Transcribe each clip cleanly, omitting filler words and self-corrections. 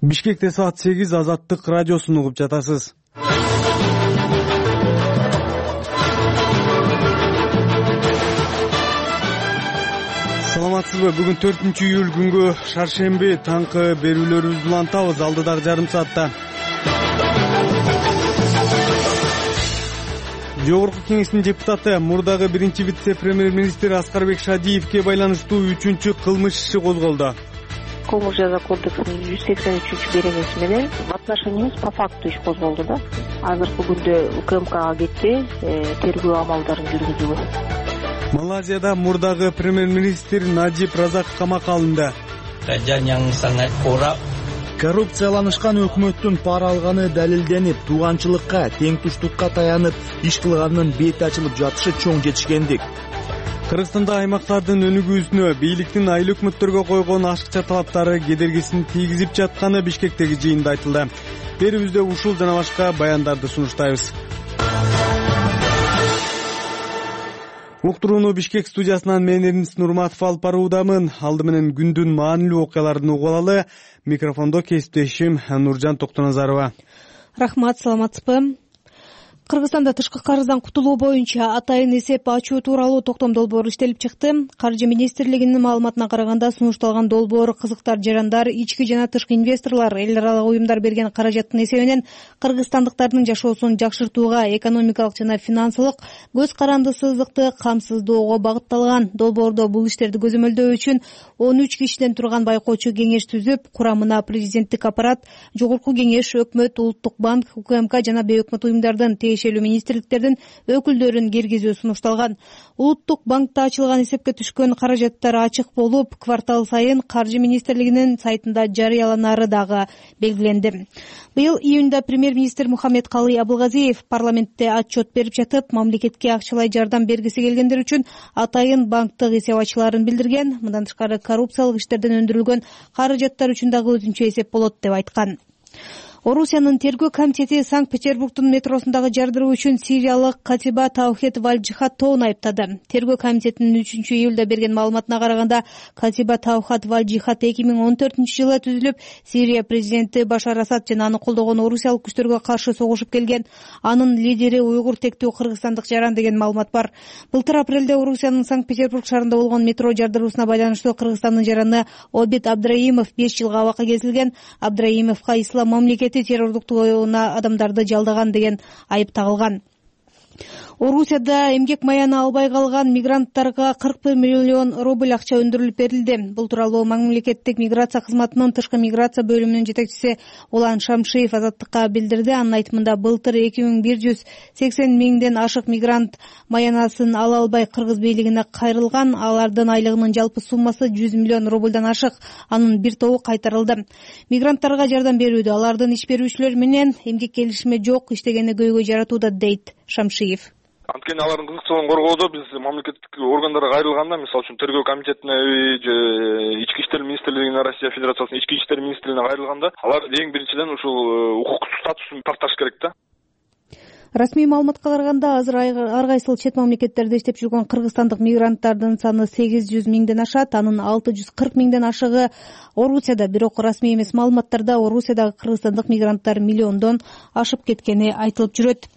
Бишкекте саат 8 Азаттык радиосун угуп жатасыз. Саламатсызбы? Бүгүн 4-июль күнгө шаршемби таңкы берүүлөрүбүздү улантабыз. Алдыдагы жарым саатта Жогорку Кеңештин депутаты мурдагы биринчи вице-премьер-министр Аскарбек Шадиевке байланыштуу 3-чү кылмыш иши козголду. Кылмыш жаза кодексинин 183-беренеси менен в отношении эмес, по факту иш козголду да. Азыркы күндө УКМКга кетти, тергөө амалдарын жүргүзүүгө. Малайзияда мурдагы премьер-министр Наджиб Разак камакка алынды. Коррупцияланышкан өкмөттүн пара алганы далилденип, тууганчылыкка, тең-туштукка таянып иш кылганынын бети ачылып жатышы чоң жетишкендик. Кыргызстанда аймактардын өнүгүүсүнө бийликтин айыл өкмөттөргө койгон ашыкча талаптары кедергисин тийгизип жатканы Бишкектеги жыйында айтылды. Берүүбүздө ушул жана башка баяндарды сунуштайбыз. Уктурууну Бишкек студиясынан мен Эрнис Нурматов алып баруудамын. Алды менен күндүн маанилүү окуяларын угуп алалы. Микрофондо кесиптешим Нуржан Токтоназарова. Рахмат, саламатсызбы? Кыргызстанда тышкы карыздан кутулуу боюнча атайын эсеп ачуу тууралуу токтом долбоор иштелип чыкты. Каржы министрлигинин маалыматына караганда, сунушталган долбоор кызыктар, жарандар, ички жана тышкы инвесторлор, эл аралык уюмдар берген каражаттын эсебинен кыргызстандыктардын жашоосун жакшыртууга, экономикалык жана финансылык көз карандысыздыкты камсыздоого багытталган. Долбоордо бул иштерди көзөмөлдөө үчүн 13 кишиден турган байкоочу кеңеш түзүп, курамына президенттик аппарат, Жогорку Кеңеш, өкмөт, Улуттук банк, УКМК жана бейөкмөт уюмдардын министрликтердин өкүлдөрүн киргизүү сунушталган. Улуттук банкта ачылган эсепке түшкөн каражаттар ачык болуп, квартал сайын Каржы министрлигинин сайтында жарыяланары дагы белгиленди. Быйыл июнда премьер-министр Мухаммедкалый Абылгазиев парламентте отчет берип жатып, мамлекетке акчалай жардам бергиси келгендер үчүн атайын банктык эсеп-ачууларын билдирген. Мындан тышкары коррупциялык иштерден өндүрүлгөн каражаттар үчүн дагы өзүнчө эсеп болот деп айткан. Орусиянын тергөө комитети Санкт-Петербургдун метросундагы жардыруу үчүн сириялык Катиба Таухет Валджихатовну айыптады. Тергөө комитетинин 3-июлда берген маалыматына караганда, Катиба Таухат Валджихат 2014-жылы түзүлүп, Сирия президенти Башар Асад жана аны колдогон орусиялык күчтөргө каршы согушуп келген. Анын лидери уйгур тектүү кыргызстандык жаран деген маалымат бар. Былтыр апрелде Орусиянын Санкт-Петербург шаарында болгон метро жардыруусуна байланыштуу Кыргызстандын жараны Обид Абдраимов 5 жылга абакка кесилген. Абдраимовго ислам мамлекети террордук тоюуна адамдарды жалдаган деген айып тагылган. Орусияда эмгек маяны албай калган мигранттарга 41 миллион рубль акча өндүрүлүп берилди. Бул тууралуу мамлекеттик миграция кызматынын тышкы миграция бөлүмүнүн жетекчиси Улан Шамшиев Азаттыкка билдирди. Анын айтымында, былтыр 2180 миңден ашык мигрант маянасын ала албай кыргыз бийлигине кайрылган. Алардын айлыгынын жалпы суммасы 100 миллион рубльдан ашык. Анын бир тобу кайтарылды. Мигранттарга жардам берүүдө алардын иш берүүчүлөр менен эмгек келишими жок иштегени көйгөй жаратууда, дейт Шамшиев. Анткени алардын кызыкчылыгын коргоодо биз мамлекеттик органдарга кайрылганда, мисалы үчүн тергөө комитетине, ички иштер министрлигине, Россия Федерациясынын ички иштер министрлигине кайрылганда, алар эң биринчиден ушул укуктук статусун такташ керек да. Расмий маалыматка караганда, азыр ар кайсыл чет мамлекеттерде иштеп жүргөн кыргызстандык мигранттардын саны 800 миңден ашат. Анын 640 миңден ашыгы Орусияда. Бирок расмий эмес маалыматтарда Орусиядагы кыргызстандык мигранттар миллиондон ашып кеткени айтылып жүрөт.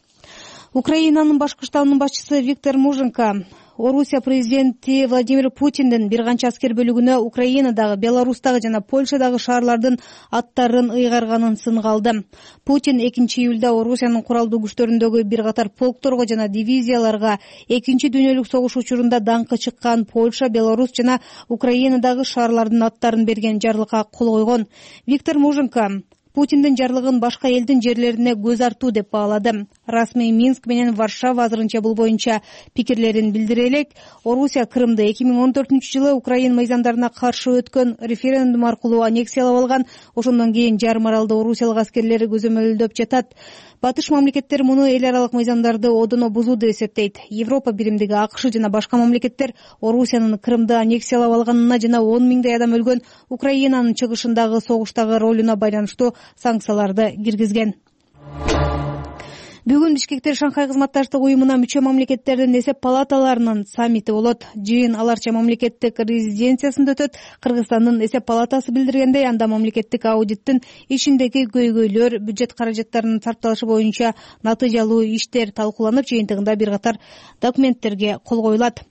Украинанын башкы штабынын башчысы Виктор Муженко Орусия президенти Владимир Путиндин бир канча аскер бөлүгүнө Украинадагы, Беларустагы жана Польшадагы шаарлардын аттарын ыйгарганын сынга алды. Путин 2-июлда Орусиянын куралдуу күчтөрүндөгү бир катар полкторго жана дивизияларга 2-чи дүйнөлүк согуш учурунда даңкы чыккан Польша, Беларусь жана Украинадагы шаарлардын аттарын берген жарлыкка кол койгон. Виктор Муженко Путиндин жарлыгын башка элдин жерлерине көз артуу деп баалады. Расмий Минск менен Варшава азырынча бул боюнча пикирлерин билдире элек. Орусия Крымды 2014-жылы Украин мыйзамдарына каршы өткөн референдум аркылуу аннексиялап алган. Ошондон кийин жарым аралды орусиялык аскерлер көзөмөлдөп жатат. Батыш мамлекеттер муну эл аралык мыйзамдарды одоно бузуу деп эсептейт. Европа биримдиги, АКШ жана башка мамлекеттер Орусиянын Крымды аннексиялап алганына жана 10 миңдей адам өлгөн Украинанын чыгышындагы согуштагы ролуна байланыштуу санкцияларды киргизген. Бүгүн Бишкекте Шанхай кызматташтык уюмуна мүчө мамлекеттердин эсеп палаталарынын саммити болот. Жыйын Аларча мамлекеттик резиденциясында өтөт. Кыргызстандын эсеп палатасы билдиргендей, анда мамлекеттик аудиттин ишиндеги көйгөйлөр, бюджет каражаттарынын сарпталышы боюнча натыйжалуу иштер талкууланып, жыйынтыгында бир катар документтерге кол коюлат.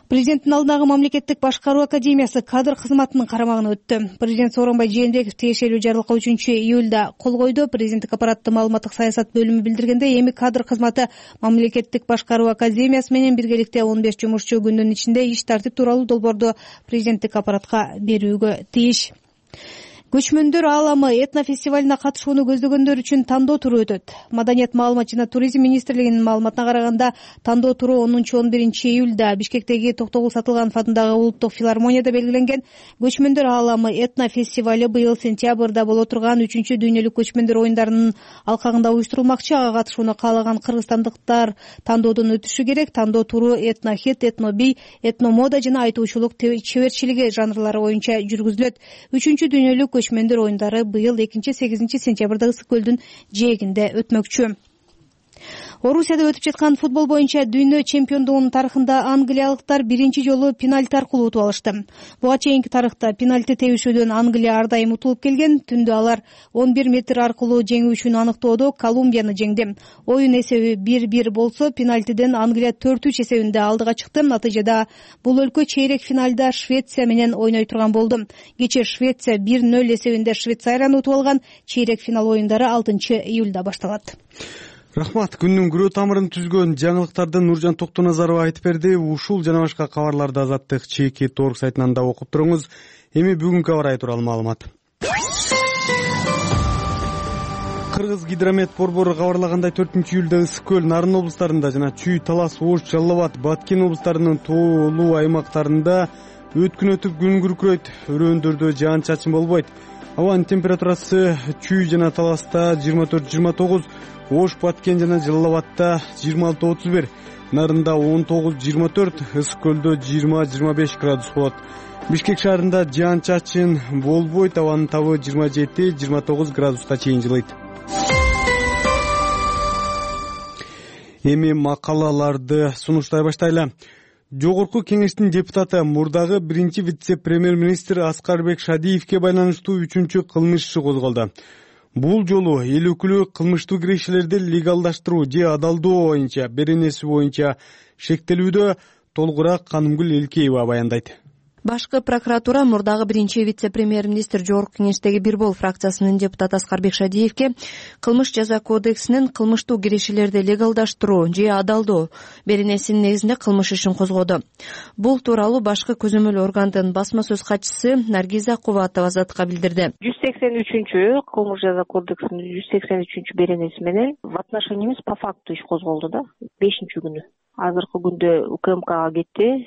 Президенттин алдындагы мамлекеттик башкаруу академиясы кадр кызматынын карамагына өттү. Президент Сооронбай Жээнбеков тиешелүү жарлыкка 3-июлда кол койду. Президенттик аппараттын маалыматтык саясат бөлүмү билдиргендей, эми кадр кызматы мамлекеттик башкаруу академиясы менен биргеликте 15 жумушчу күндүн ичинде иш тартип тууралуу долбоорду президенттик аппаратка берүүгө тийиш. Көчмөндөр ааламы этнофестивалына катышууну көздөгөндөр үчүн тандоо туру өтөт. Маданият, маалымат жана туризм министрлигинин маалыматына караганда, тандоо туру 10-11 июлда Бишкектеги Токтогул Сатылганов атындагы улуттук филармонияда белгиленген. Көчмөндөр ааламы этнофестивали быйыл сентябрда боло турган 3-чү дүйнөлүк көчмөндөр оюндарынын алкагында уюштурулмакчы. Ага катышууну каалаган кыргызстандыктар тандоодон өтүшү керек. Тандоо туру этнохит, этнобий, этномода жана айтуучулук чеберчилиги жанрлары боюнча жүргүзүлөт. 3-чү дүйнөлүк көчмөндөр оюндары быйыл 2-8 сентябрда Ысык көлдүн жээгинде өтмөкчү. Орусияда өтүп жаткан футбол боюнча дүйнө чемпиондугунун тарыхында англиялыктар биринчи жолу пенальти аркылуу утуп алышты. Буга чейинки тарыхта пенальти тебишүүдөн Англия ар дайым утулуп келген. Түндө алар 11 метр аркылуу жеңүүчүнү аныктоодо Колумбияны жеңди. Оюн эсеби 1-1 болсо, пенальтиден Англия 4-3 эсебинде алдыга чыкты. Натыйжада бул өлкө чейрек финалда Швеция менен ойной турган болду. Кечээ Швеция 1-0 эсебинде Швейцарияны утуп алган. Чейрек финал оюндары 6-июлда башталат. Рахмат. Күндүн күрөө тамырын түзгөн жаңылыктарды Нуржан Токтоназарова айтып берди. Ушул жана башка кабарларды Азаттык чеки торг сайтынан да окуп туруңуз. Эми бүгүнкү аба ырайы тууралуу маалымат. Кыргыз гидромет борбору кабарлагандай 4-июлда Ысык көл, Нарын облустарында жана Чүй, Талас, Ош, Жалал Абад, Баткен облустарынын тоолуу аймактарында өткүн өтүп күн күркүрөйт. Өрөөндөрдө жаан-чачын болбойт. Абанын температурасы Чүй жана Таласта 24-29, Ош, Баткен жана Жалал Абадта 26-31, Нарында 19-24, Ысык көлдө 20-25 градус болот. Бишкек шаарында жаан-чачын болбойт, абанын табы 27-29 градуска чейин жылыйт. Эми макалаларды сунуштай баштайлы. Жогорку кеңештин депутаты, мурдагы биринчи вице-премьер-министр Аскарбек Шадиевке байланыштуу 3-чү кылмыш иши козголду. Бул жолу эл өкүлү кылмыштуу кирешелерди легалдаштыруу же адалдоо боюнча, беренеси боюнча шектелүүдө. Толугураак Канымгүл Элкеева баяндайт. Башкы прокуратура мурдагы биринчи вице-премьер-министр Жогорку кеңештеги Бир Бол фракциясынын депутаты Аскарбек Шадиевке кылмыш жаза кодексинин кылмыштуу кирешелерди легалдаштыруу же адалдоо беренесинин негизинде кылмыш ишин козгоду. Бул тууралуу башкы көзөмөл органдын басма сөз катчысы Наргиза Кубатова Азаттыкка билдирди. 183 кылмыш жаза кодексинин 183 беренеси менен в отношениябыз по факту иш козголду да 5-күнү. Азыркы күндө УКМКга кетти,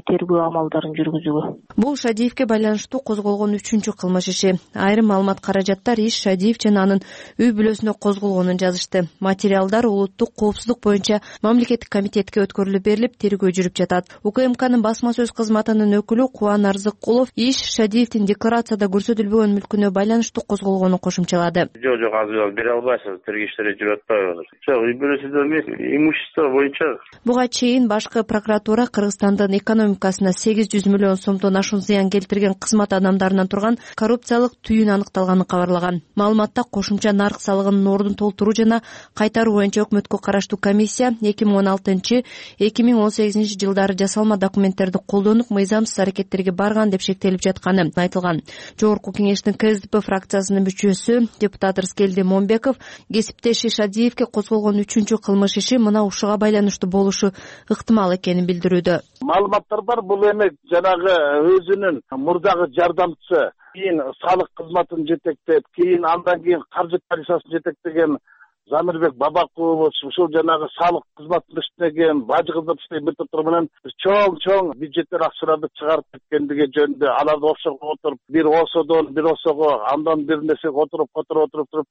тергөө амалдарын жүргүзүүгө. Бул Шадиевке байланыштуу козголгон 3-чү кылмыш иши. Айрым маалымат каражаттар иш Шадиев жана анын үй бүлөсүнө козголгонун жазышты. Материалдар улуттук коопсуздук боюнча мамлекеттик комитетке өткөрүлүп берилип, тергөө жүрүп жатат. УКМКнын басма сөз кызматынын өкүлү Кубан Арзыккулов иш Шадиевдин декларацияда көрсөтүлбөгөн мүлкүнө байланыштуу козголгонун кошумчалады. Жок, азыр бере албайсыз, тергөө иштери жүрүп атпайбы? Жок, үй бүлөсүндө эмес, имущество боюнча. Буга чейин башкы прокуратура Кыргызстандын экономикасына 800 миллион сомдон ашуун зыян келтирген кызмат адамдарынан турган коррупциялык түйүн аныкталганын кабарлаган. Маалыматта кошумча нарк салыгынын ордун толтуруу жана кайтаруу боюнча өкмөткө караштуу комиссия 2016-2018 жылдары жасалма документтерди колдонуп, мыйзамсыз аракеттерге барган деп шектелип жатканы айтылган. Жогорку кеңештин КСДП фракциясынын мүчөсү депутат Рыскелди Момбеков кесиптеши Шадиевке козголгон 3-чү кылмыш иши мына ушуга байланыштуу болушу ыктымал экенин билдирүүдө. Маалыматтар бар, бул эми жанагы өзүнүн мурдагы жардамчысы, кийин салык кызматын жетектеп, кийин андан кийин каржы полициясын жетектеген Замирбек Бабакулов ушул жанагы салык кызматында иштеген, бажы кызматында иштеген бир топтор менен чоң бюджеттер акчаларды чыгарып кеткендиги жөнүндө аларды офшорго отуруп, бир ОСОдон бир ОСОго, андан бир нерсеге отуруп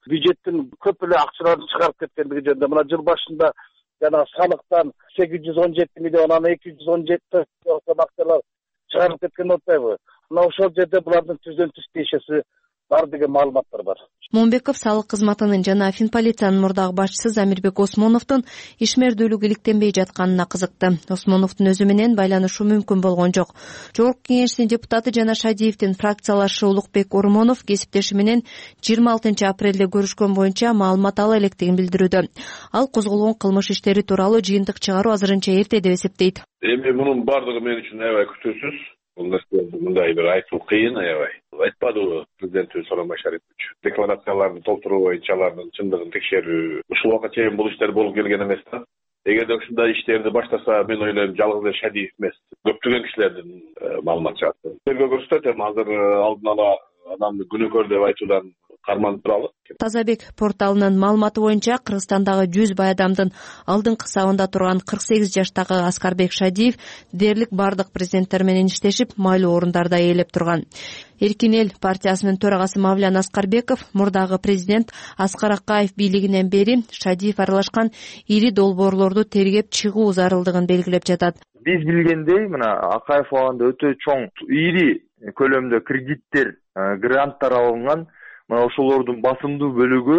бюджеттин көп эле акчаларын чыгарып кеткендиги жөнүндө мына жыл башында жана салыктан 817 миллион, анан 217 акчалар чыгарып кеткен атпайбы? Мына ошол жерде булардын түздөн түз тиешеси бар деген маалыматтар бар. Момбеков салык кызматынын жана Финполициянын мурдагы башчысы Замирбек Осмоновдун ишмердүүлүк иликтенбей жатканына кызыкты. Осмоновдун өзү менен байланышуу мүмкүн болгон жок. Жогорку Кеңештин депутаты жана Шадиевдин фракциялашы Улукбек Ормонов кесиптеши менен 26 апрелде көрүшкөн боюнча маалымат ала электигин билдирүүдө. Ал козголгон кылмыш иштери тууралуу жыйынтык чыгаруу азырынча эрте деп эсептейт. Эми мунун бардыгы мен үчүн аябай күтүүсүз. Бул нерселерди мындай бир айтуу кыйын аябай. Айтпадыбы президентибиз Сооронбай Шарипович. Декларацияларды толтуруу боюнча алардын чындыгын текшерүү. Ушул убакка чейин бул иштер болуп келген эмес да. Эгерде ушундай иштерди баштаса, мен ойлойм жалгыз эле Шадиев эмес, көптөгөн кишилердин маалымат чыгат. Тергөө көрсөтөт, эми азыр алдын ала адамды күнөөкөр деп айтуудан карманып туралы. Тазабек порталынын маалыматы боюнча Кыргызстандагы 100 бай адамдын алдыңкы сабында турган 48 жаштагы Аскарбек Шадиев дээрлик бардык президенттер менен иштешип, майлуу орундарда ээлеп турган. Эркин эл партиясынын төрагасы Мавлян Аскарбеков мурдагы президент Аскар Акаев бийлигинен бери Шадиев аралашкан ири долбоорлорду тергеп чыгуу зарылдыгын белгилеп жатат. Биз билгендей, мына Акаев абагында өтө чоң ири көлөмдө кредиттер, гранттар алынган. Ошолордун басымдуу бөлүгү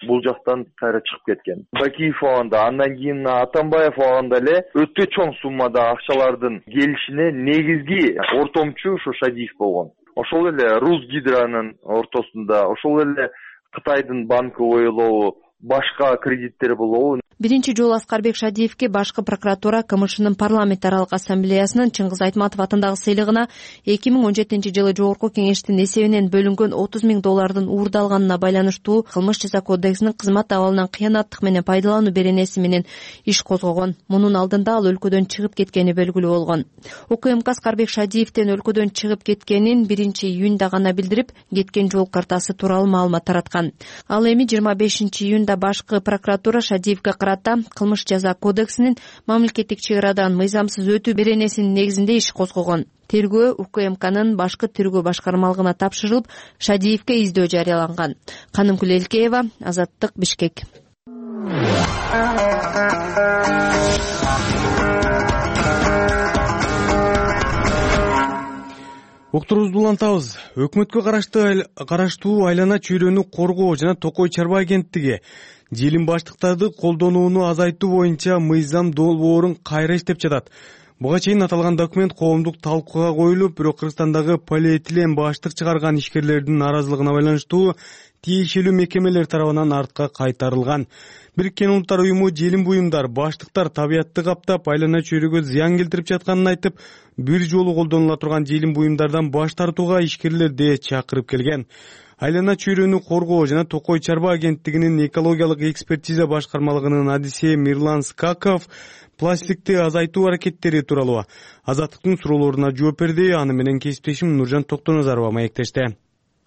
бул жактан кайра чыгып кеткен. Бакиев абагында, андан кийин Атамбаев абагында эле өтө чоң суммада акчалардын келишине негизги ортомчу ушу Шадиев болгон. Ошол эле Русгидронун ортосунда, ошол эле Кытайдын банкы ойлобу, башка кредиттер болобу. Биринчи жолу Аскарбек Шадиевке башкы прокуратура КМШнын парламент аралык ассамблеясынын Чыңгыз Айтматов атындагы сыйлыгына 2017-жылы Жогорку Кеңештин эсебинен бөлүнгөн $30 000 уурдалганына байланыштуу Кылмыш жаза кодексинин кызмат абалынан кыянаттык менен пайдалануу беренеси менен иш козгогон. Мунун алдында ал өлкөдөн чыгып кеткени белгилүү болгон. УКМК Аскарбек Шадиевдин өлкөдөн чыгып кеткенин 1-июнда гана билдирип, кеткен жол картасы тууралуу маалымат тараткан. Ал эми 25-июнда башкы прокуратура Шадиевге Кылмыш жаза кодексинин мамлекеттик чек арадан мыйзамсыз өтүү беренесинин негизинде иш козгогон. Тергөө УКМКнын башкы тергөө башкармалыгына тапшырылып, Шадиевге издөө жарыяланган. Канымкүл Элкеева, Азаттык, Бишкек. Уктуруубузду улантабыз. Өкмөткө караштуу айлана чөйрөнү коргоо жана Токой чарба агенттиги желим баштыктарды колдонууну азайтуу боюнча мыйзам долбоорун кайра иштеп жатат. Буга чейин аталган документ коомдук талкууга коюлуп, бирок Кыргызстандагы полиэтилен баштык чыгарган ишкерлердин наразылыгына байланыштуу тиешелүү мекемелер тарабынан артка кайтарылган. Бириккен Улуттар уюму желим буюмдар, баштыктар табиятты каптап, айлана чөйрөгө зыян келтирип жатканын айтып, бир жолу колдонула турган желим буюмдардан баш тартууга ишкерлерди чакырып келген. Айлана чөйрөнү коргоо жана Токой чарба агенттигинин экологиялык экспертиза башкармалыгынын адиси Мирлан Скаков пластикти азайтуу аракеттери тууралуу Азаттыктын суроолоруна жооп берди. Аны менен кесиптешим Нуржан Токтоназарова маектешти.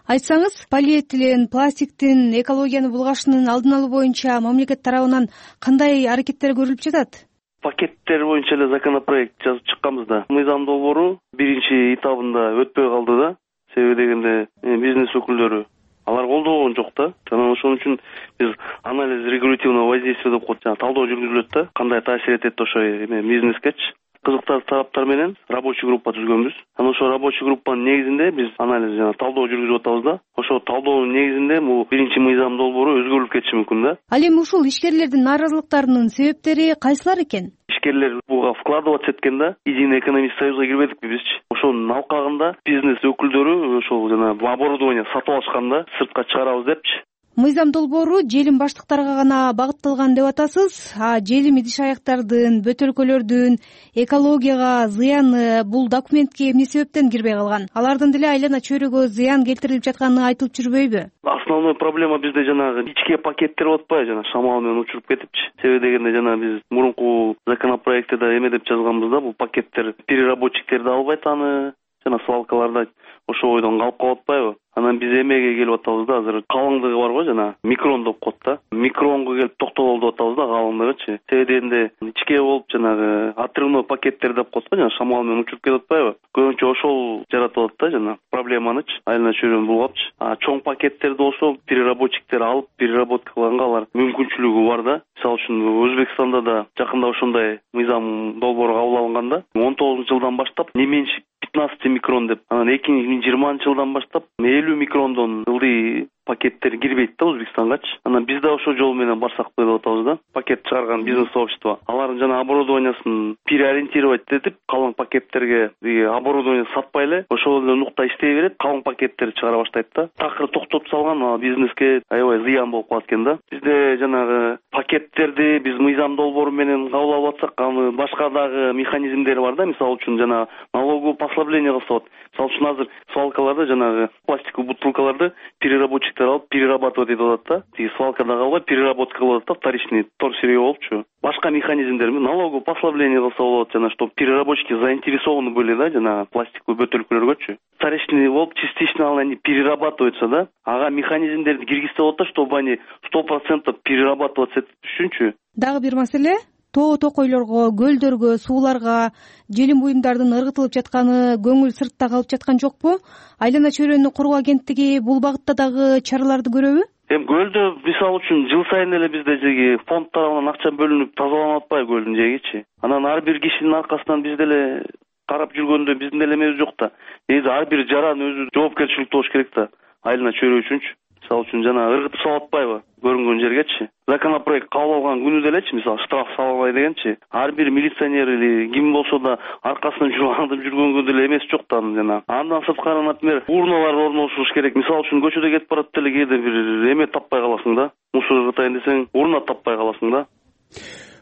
Айтсаңыз, полиэтилен, пластиктин экологияны булгашынын алдын алуу боюнча мамлекет тарабынан кандай аракеттер көрүлүп жатат? Пакеттер боюнча эле законопроект жазып чыкканбыз да. Мыйзам долбоору биринчи этабында өтпөй калды да. Себеби дегенде бизнес өкүлдөрү алар колдогон жок да. Жана ошон үчүн биз анализ регулятивного воздействия деп коет, талдоо жүргүзүлөт да. Кандай таасир этет ошо бизнескечи. Кызыктуу тараптар менен рабочий группа түзгөнбүз. Анан ошо рабочий группанын негизинде биз анализ жана талдоо жүргүзүп атабыз да. Ошо талдоонун негизинде бул биринчи мыйзам долбоору өзгөрүлүп кетиши мүмкүн да. Ал эми ушул ишкерлердин нааразылыктарынын себептери кайсылар экен? Ишкерлер буга вкладываться эткен да. Единый экономический союзга кирбедикпи бизчи? Ошонун алкагында бизнес өкүлдөрү ошол жана оборудование сатып алышканда сыртка чыгарабыз депчи. Мыйзам долбоору желим баштыктарга гана багытталган деп атасыз. Желим идиш аяктардын, бөтөлкөлөрдүн экологияга зыяны бул документке эмне себептен кирбей калган? Алардын деле айлана чөйрөгө зыян келтирилип жатканы айтылып жүрбөйбү? Основной проблема бизде жанагы ичке пакеттер болуп атпайбы, жана шамал менен учуруп кетипчи. Себеби дегенде жана биз мурунку законопроектте да эме деп жазганбыз да, бул пакеттер переработчиктерди албайт аны жана свалкаларда ошол бойдон калып калып атпайбы? Анан биз эмеге келип атабыз да, азыр калыңдыгы бар го жана микрон деп коет да. Микронго келип токтололу деп атабыз да, калыңдыгычы. Себеби дегенде ичке болуп жанагы отрывной пакеттер деп коет го, жана шамал менен учуруп кетип атпайбы? Көбүнчө ошол жаратып атат да жана проблеманычы, айлана чөйрөнү булгапчы. Чоң пакеттерди болсо переработчиктер алып переработкалаганга алар мүмкүнчүлүгү бар да. Мисалы үчүн Өзбекстанда да жакында ошондой мыйзам долбоору кабыл алынган да. 19-жылдан баштап не меньше 15 микрон деп, анан 2 жылдан баштап 50 микрондон ылдый пакеттер кирбейт да Өзбекстангачы. Анан биз да ошол жол менен барсак деп атабыз да. Пакет чыгарган бизнес сообщество алардын жана оборудованиясын переориентировать этип, калың пакеттерге оборудование сатпай эле ошол эле нукта иштей берет, калың пакеттерди чыгара баштайт да. Такыр токтотуп салган бизнеске аябай зыян болуп калат экен да. Бизде жанагы пакеттерди биз мыйзам долбоору менен кабыл алып атсак, аны башка дагы механизмдери бар да. Мисалы үчүн жана налоговый послабление кылса болот. Мисалы үчүн азыр свалкаларда жанагы пластиковый бутылкаларды переработчик алып перерабатывать этип атат да. Тиги свалкада калбай переработка кылып атат да, вторичный торсырье болупчу. Башка механизмдер налоговый послабление кылса болот, жана что переработчики заинтересованы были да, жана пластиковый бөтөлкөлөргөчү. Вторичный болуп частично они перерабатываются да. Ага механизмдерди киргизсе болот да, чтобы они 100% перерабатываться үчүнчү. Дагы бир маселе, тоо токойлорго, көлдөргө, сууларга желим буюмдардын ыргытылып жатканы көңүл сыртта калып жаткан жокпу? Айлана чөйрөнү коргоо агенттиги бул багытта дагы чараларды көрөбү? Көлдө мисалы үчүн жыл сайын эле бизде жеги фонд тарабынан акча бөлүнүп тазаланып атпайбы көлдүн жегичи. Анан ар бир кишинин аркасынан биз деле карап жүргөндө биздин деле эмебиз жок да. Негизи ар бир жаран өзү жоопкерчиликтүү болуш керек да. Айлана чөйрө үчүнчү. Мисалы үчүн жана ыргытып салып атпайбы көрүнгөн жергечи. Законопроект кабыл алган күнү делечи, мисалы штраф салбай дегенчи, ар бир милиционер или ким болсо да аркасынан аңдып жүргөнгө деле эмес жок да жана. Андан сырткары, например, урналар орнотулуш керек. Мисалы үчүн көчөдө кетип барат деле кээде бир эме таппай каласың да. Мусор ыргытайын десең, урна таппай каласың да.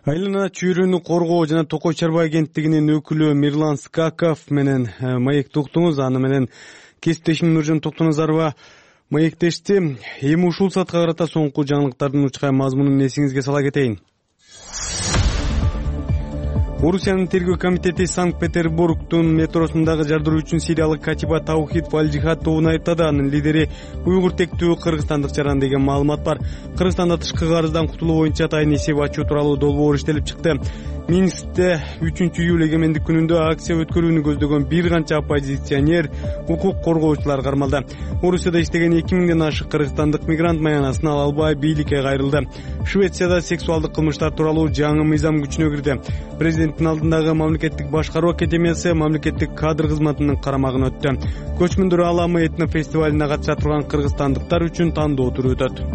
Айлана чөйрөнү коргоо жана токой чарба агенттигинин өкүлү Мирлан Скаков менен маекти уктуңуз. Аны менен кесиптешим Нуржан Токтоназарова маектешти. Эми ушул саатка карата соңку жаңылыктардын учкай мазмунун эсиңизге сала кетейин. Орусиянын тергөө комитети Санкт-Петербургдун метросундагы жардыруучун сириялык катиба Таухид Вальжихад тобун айыптады. Анын лидери уйгур тектүү кыргызстандык жаран деген маалымат бар. Кыргызстанда тышкы карыздан кутулуу боюнча атайын эсеп ачуу тууралуу долбоор иштелип чыкты. Минскте 3-июль эгемендик күнүндө акция өткөрүүнү көздөгөн бир канча оппозиционер, укук коргоочулар кармалды. Орусияда иштеген 2000ден ашык кыргызстандык мигрант маянасын ала албай бийликке кайрылды. Швецияда сексуалдык кылмыштар тууралуу жаңы мыйзам күчүнө кирди. Президенттин алдындагы мамлекеттик башкаруу академиясы мамлекеттик кадр кызматынын карамагына өттү. Көчмөндөр ааламы этно фестивалине катыша турган кыргызстандыктар үчүн тандоо туру өтөт.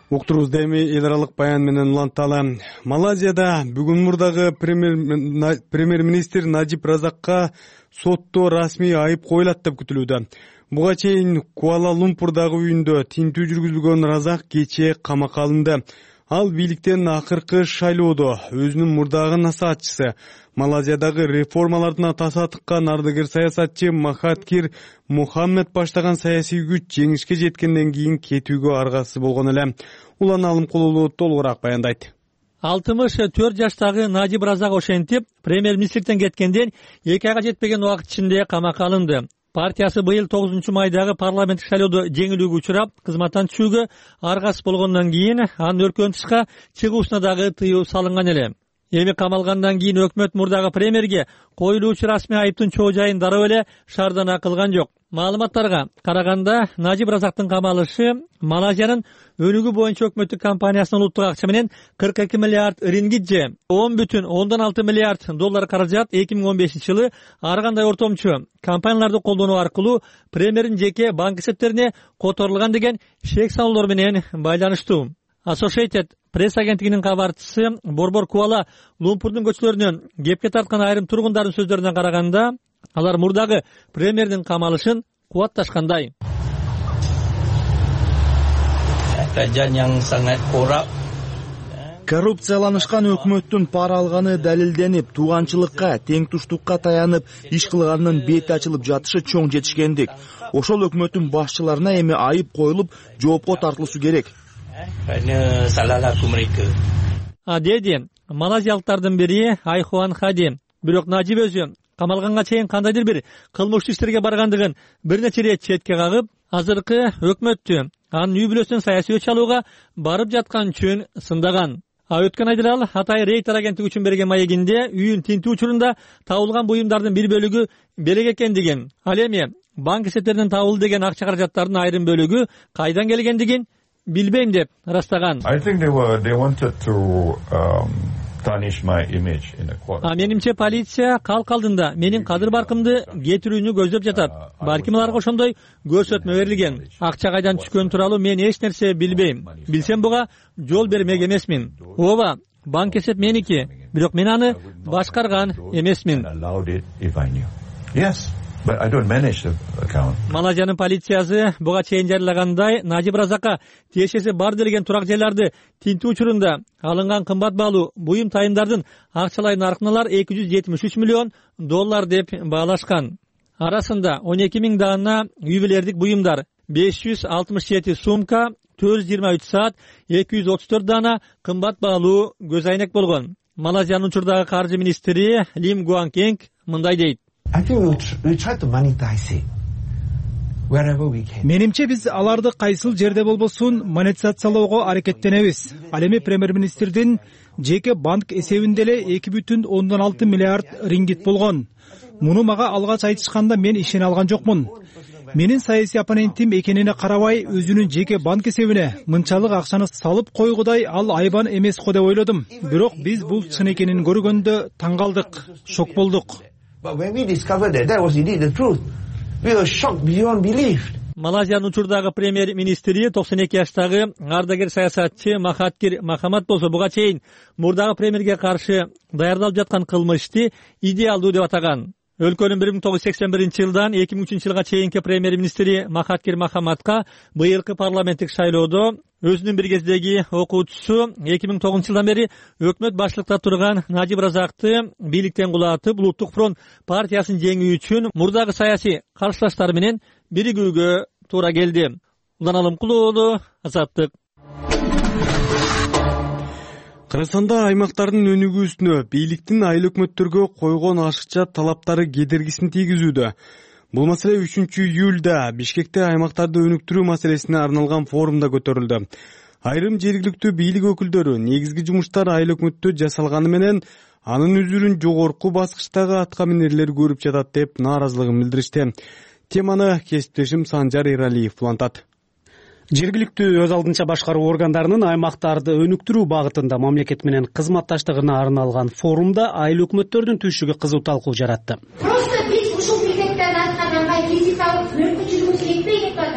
Уктурубузда эми эл аралык баян менен уланталы. Малайзияда бүгүн мурдагы премьер-министр Надиб Разакка сотто расмий айып коюлат деп күтүлүүдө. Буга чейин Куала-Лумпурдагы үйүндө тинтүү жүргүзүлгөн Разак кечээ камакка алынды. Ал бийликтен акыркы шайлоодо өзүнүн мурдагы насаатчысы, Малайзиядагы реформалардын атасы тыккан ардыгер саясатчы Махатхир Мухаммед баштаган саясий күч жеңишке жеткенден кийин кетүүгө аргасыз болгон эле. Улан Алымкулулу толугураак баяндайт. 64 жаштагы Надиб Разак ошентип, премьер-министрликтен кеткенден 2 айга жетпеген убакыт ичинде камакка алынды. Партиясы быйыл 9-майдагы парламенттик шайлоодо жеңилүүгө учурап, кызматтан түшүүгө аргасыз болгондон кийин анын өркөн тышка чыгуусуна дагы тыюу салынган эле. Эми камалгандан кийин өкмөт мурдагы премьерге коюлуучу расмий айыптын чоо жайын дароо эле шаардана кылган жок. Маалыматтарга караганда, Надиб Разактын камалышы Малайзиянын өнүгүү боюнча өкмөттүк компаниясынын улуттук акча менен 42 миллиард рингит же 10,6 миллиард доллар каражат 2015-жылы ар кандай ортомчу компанияларды колдонуу аркылуу премьердин жеке банк эсептерине которулган деген шек салуулар менен байланыштуу. Associated пресс агенттигинин кабарчысы Борбор Куала-Лумпурдун көчөлөрүнөн кепке тарткан айрым тургундардын сөздөрүнө караганда, алар мурдагы премьердин камалышын кубатташкандай. Коррупцияланышкан өкмөттүн пара алганы далилденип, тууганчылыкка, теңтуштукка таянып иш кылганынын бети ачылып жатышы чоң жетишкендик. Ошол өкмөттүн башчыларына эми айып коюлуп, жоопко тартылышы керек. Деди малайзиялыктардын бири Айхуан Хади. Бирок Надиб өзү камалганга чейин кандайдыр бир кылмыштуу иштерге баргандыгын бир нече ирет четке кагып, азыркы өкмөттү анын үй бүлөсүнөн саясий өч алууга барып жаткан үчүн сындаган. Өткөн айда ал Атай Рейтер агенттиги үчүн берген маегинде үйүн тинтүү учурунда табылган буюмдардын бир бөлүгү белек экендигин, ал эми банк эсептеринен табылды деген акча каражаттардын айрым бөлүгү кайдан келгендигин билбейм деп ырастаган. Менимче полиция калк алдында менин кадыр баркымды кетирүүнү көздөп жатат. Балким аларга ошондой көрсөтмө берилген. Акча кайдан түшкөнү тууралуу мен эч нерсе билбейм. Билсем буга жол бермек эмесмин. Ооба, банк эсеп меники, бирок мен аны башкарган эмесмин. Малайзиянын полициясы буга чейин жарыялагандай Najib Razakка тиешеси бар делген турак жайларды тинтүү учурунда алынган кымбат баалуу буюм тайымдардын акчалай наркын алар $273 миллион деп баалашкан. Арасында 12 000 даана ювелирдик буюмдар, 567 сумка, 423 саат, 234 даана кымбат баалуу көз айнек болгон. Малайзиянын учурдагы каржы министри Лим Гуанкенг мындай дейт. Менимче биз аларды кайсыл жерде болбосун монетизациялоого аракеттенебиз. Ал эми премьер-министрдин жеке банк эсебинде эле 2,6 миллиард рингит болгон. Муну мага алгач айтышканда мен ишене алган жокмун. Менин саясий оппонентим экенине карабай өзүнүн жеке банк эсебине мынчалык акчаны салып койгудай ал айбан эмес го деп ойлодум. Бирок биз бул чын экенин көргөндө таң калдык, шок болдук. Малайзиянын учурдагы премьер-министри 92 жаштагы ардагер саясатчы Махатхир Мохаммад болсо буга чейин мурдагы премьерге каршы даярдалып жаткан кылмышты идеалдуу деп атаган. Өлкөнүн 1981-жылдан 2003 жылга чейинки премьер-министри Махатхир Мохаммадка быйылкы парламенттик шайлоодо өзүнүн бир кездеги окуучусу 2009 жылдан бери өкмөт башчылыкта турган Najib Razakты бийликтен кулатып, Улуттук фронт партиясын жеңүү үчүн мурдагы саясий каршылаштары менен биригүүгө туура келди. Улан Алымкулуу, Азаттык. Кыргызстанда аймактардын өнүгүүсүнө бийликтин айыл өкмөттөргө койгон ашыкча талаптары кедергисин тийгизүүдө. Бул маселе 3-июлда Бишкекте аймактарды өнүктүрүү маселесине арналган форумда көтөрүлдү. Айрым жергиликтүү бийлик өкүлдөрү негизги жумуштар айыл өкмөттө жасалганы менен анын үзүрүн жогорку баскычтагы атка минерлер көрүп жатат деп нааразылыгын билдиришти. Теманы кесиптешим Санжар Эралиев улантат. Жергиликтүү өз алдынча башкаруу органдарынын аймактарды өнүктүрүү багытында мамлекет менен кызматташтыгына арналган форумда айыл өкмөттөрдүн түйшүгү кызуу талкуу жаратты.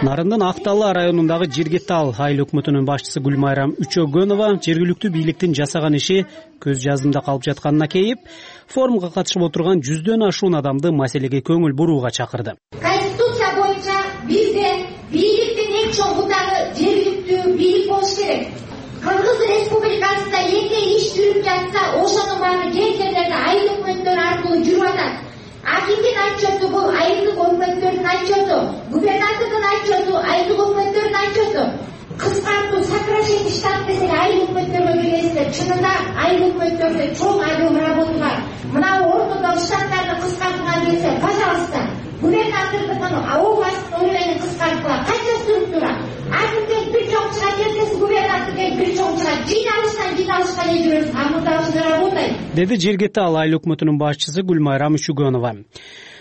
Нарындын Актала районундагы Жергетал айыл өкмөтүнүн башчысы Гүлмайрам Үчөгөнова жергиликтүү бийликтин жасаган иши көз жаздымда калып жатканына кейип, форумга катышып отурган 100дөн ашуун адамды маселеге көңүл бурууга чакырды. Конституция боюнча бизде бийликтин эң чоң бутагы жергиликтүү бийлик болуш керек. Кыргыз Республикасында эмне иш жүрүп жатса, ошонун баары жер жерлерде айыл өкмөттөр аркылуу жүрүп атат. Акимдин отчету бул айылдык өкмөттөрдүн отчету, губернатордун отчету айылдык өкмөттөрдүн отчету. Кыскартуу, сокращение штат десек айыл өкмөттөргө келесиздер. Чынында айыл өкмөттөрдө чоң объем работа бар. Мына ортодо штаттарды кыскартууга келсе, пожалуйста, губернатордун областтын уровенин кыскартууга канча структура? Акимден бир чоң чыгат, эртеси губернаторден бир чоң чыгат. Жыйналышка жүрөбүз, а мында ушундай работайт. Деди Жергетал айыл өкмөтүнүн башчысы Гүлмайрам Үчөгөнова.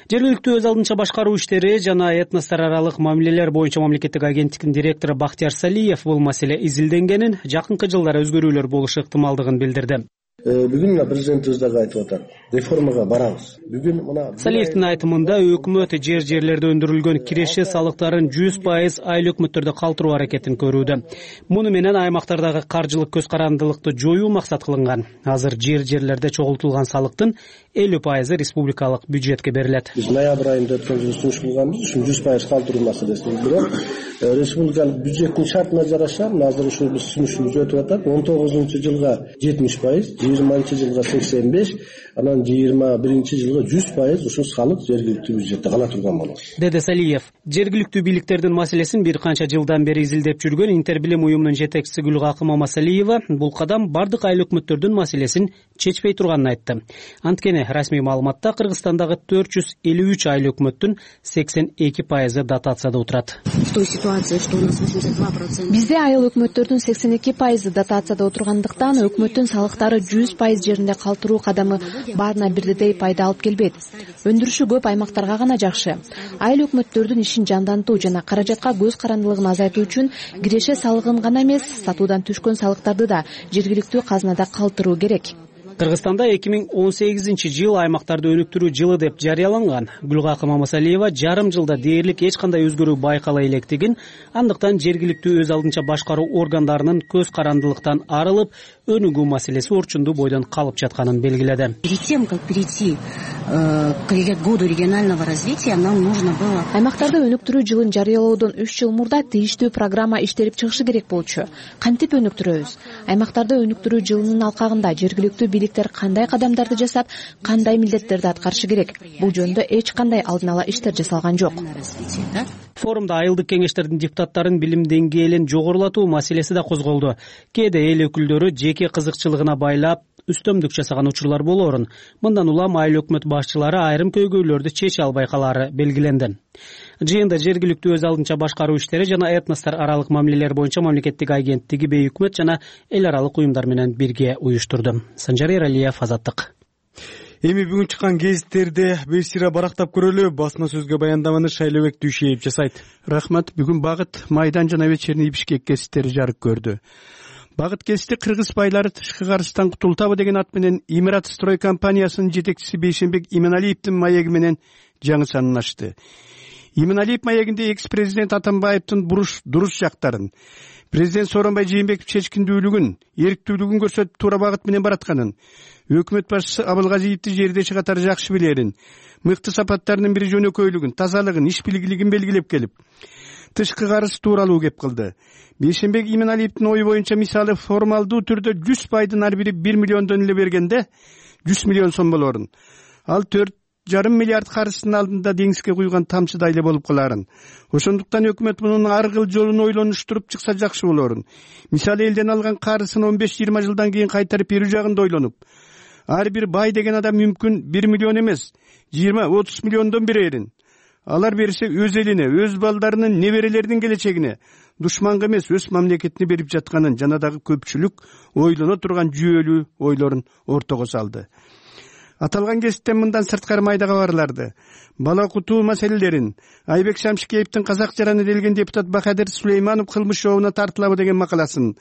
Жергиликтүү өз алдынча башкаруу иштери жана этностор аралык мамилелер боюнча мамлекеттик агенттиктин директору Бактияр Салиев бул маселе изилденгенин, жакынкы жылдары өзгөрүүлөр болушу ыктымалдыгын билдирди. Бүгүн мына президентибиз дагы айтып атат. Реформага барабыз. Бүгүн мына Салиевдин айтымында өкмөт жер-жерлерде өндүрүлгөн киреше салыктарын 100% айыл өкмөттөрдө калтыруу аракетин көрүүдө. Муну менен аймактардагы каржылык көз карандылыкты жоюу максат кылынган. Азыр жер-жерлерде чогултулган салыктын 50% республикалык бюджетке берилет. Биз ноябрь айында өткөн жылы сунуш кылганбыз, ушун 100% калтыруу маселесин. Бирок республикалык бюджеттин шартына жараша азыр ушул биз сунушубуз өтүп атат. 19-жылга 70%, 20-жылга 85, анан 21-жылга 100% ушул салык жергиликтүү бюджетте гана турган болот. Деди Салиев. Жергиликтүү бийликтердин маселесин бир канча жылдан бери изилдеп жүргөн Интербилим уюмунун жетекчиси Гүлгакы Мамасалиева бул кадам бардык айыл өкмөттөрдүн маселесин чечпей турганын айтты. Анткени расмий маалыматта Кыргызстандагы 453 айыл өкмөттүн 82% дотацияда отурат. Бизде айыл өкмөттөрдүн 82% дотацияда отургандыктан өкмөттүн салыктары 100% жеринде калтыруу кадамы баарына бирдей пайда алып келбейт. Өндүрүшү көп аймактарга гана жакшы. Айыл өкмөттөрдүн ишин жандантуу жана каражатка көз карандылыгын азайтуу үчүн киреше салыгын гана эмес, сатуудан түшкөн салыктарды да жергиликтүү казынада калтыруу керек. Кыргызстанда 2018-жыл аймактарды өнүктүрүү жылы деп жарыяланган. Гүлгакы Мамасалиева жарым жылда дээрлик эч кандай өзгөрүү байкала электигин, андыктан жергиликтүү өз алдынча башкаруу органдарынын көз карандылыктан арылып, өнүгүү маселеси орчундуу бойдон калып жатканын белгиледи. Перед тем, как перейти к году регионального развития, нам нужно было аймактарды өнүктүрүү жылын жарыялоодон 3 жыл мурда тийиштүү программа иштелип чыгышы керек болчу. Кантип өнүктүрөбүз? Аймактарды өнүктүрүү жылынын алкагында жергиликтүү бийликтер кандай кадамдарды жасап, кандай милдеттерди аткарышы керек? Бул жөнүндө эч кандай алдын ала иштер жасалган жок. Форумда айылдык кеңештердин депутаттарын билим деңгээлин жогорулатуу маселеси да козголду. Кээде эл өкүлдөрү жеке кызыкчылыгына байлап үстөмдүк жасаган учурлар болоорун. Мындан улам айыл өкмөт башчылары айрым көйгөйлөрдү чече албай калаары белгиленди. Жыйында жергиликтүү өз алдынча башкаруу иштери жана этностор аралык мамилелер боюнча мамлекеттик агенттиги бейөкмөт жана эл аралык уюмдар менен бирге уюштурду. Санжар Эралиев, Азаттык. Эми бүгүн чыккан гезиттерди бир сыйра барактап көрөлү. Басма сөзгө баяндаманы Шайлообек Дүйшеев жасайт. Рахмат. Бүгүн Багыт, Майдан жана Вечерний Бишкек гезиттери жарык көрдү. Багыт гезити кыргыз байлары тышкы карыздан кутултабы деген ат менен Имират строй компаниясынын жетекчиси Бейшенбек Именалиевдин маеги менен жаңы санын ачты. Именалиев маегинде экс-президент Атамбаевдин дурус жактарын, президент Сооронбай Жээнбеков чечкиндүүлүгүн, эрктүүлүгүн көрсөтүп туура багыт менен баратканын, өкмөт башчысы Абылгазиевди жердеши катары жакшы билерин, мыкты сапаттарынын бири жөнөкөйлүгүн, тазалыгын, иш билгилигин белгилеп келип, тышкы карыз тууралуу кеп кылды. Бейшенбек Именалиевдин ою боюнча мисалы формалдуу түрдө 100 пайдын ар бири 1 миллиондон эле бергенде 100 миллион сом болорун. Ал 4,5 миллиард карыздын алдында деңизге куйган тамчыдай эле болуп каларын. Ошондуктан өкмөт мунун ар кыл жолун ойлонуштуруп чыкса жакшы болорун. Мисалы элден алган карызын 15-20 жылдан кийин кайтарып берүү жагында ойлонуп, ар бир бай деген адам мүмкүн 1 миллион эмес, 20-30 миллиондон берерин. Алар берсе өз элине, өз балдарынын, неберелеринин келечегине, душманга эмес, өз мамлекетине берип жатканын жана дагы көпчүлүк ойлоно турган жүйөлүү ойлорун ортого салды. Аталган гезиттен мындан сырткары майда кабарларды, бала окутуу маселелерин, Айбек Шамшикеевдин казак жараны делген депутат Бахадыр Сулейманов кылмыш жообуна тартылабы деген макаласын,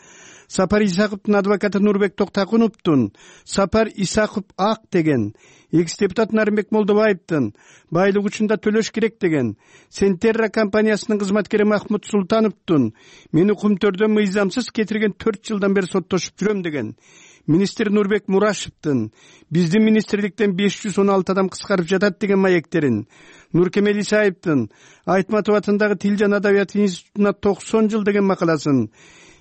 Сапар Исаковдун адвокаты Нурбек Токтакуновдун Сапар Исаков ак деген, экс-депутат Нарымбек Молдобаевдин байлык учунда төлөш керек деген, Сентерра компаниясынын кызматкери Махмуд Султановдун мени Кумтөрдөн мыйзамсыз кетирген 4 жылдан бери соттошуп жүрөм деген, министр Нурбек Мурашевдин биздин министрликтен 516 адам кыскарып жатат деген маектерин, Нуркемел Исаевдин Айтматов атындагы Тил жана Адабият институтуна 90 жыл деген макаласын,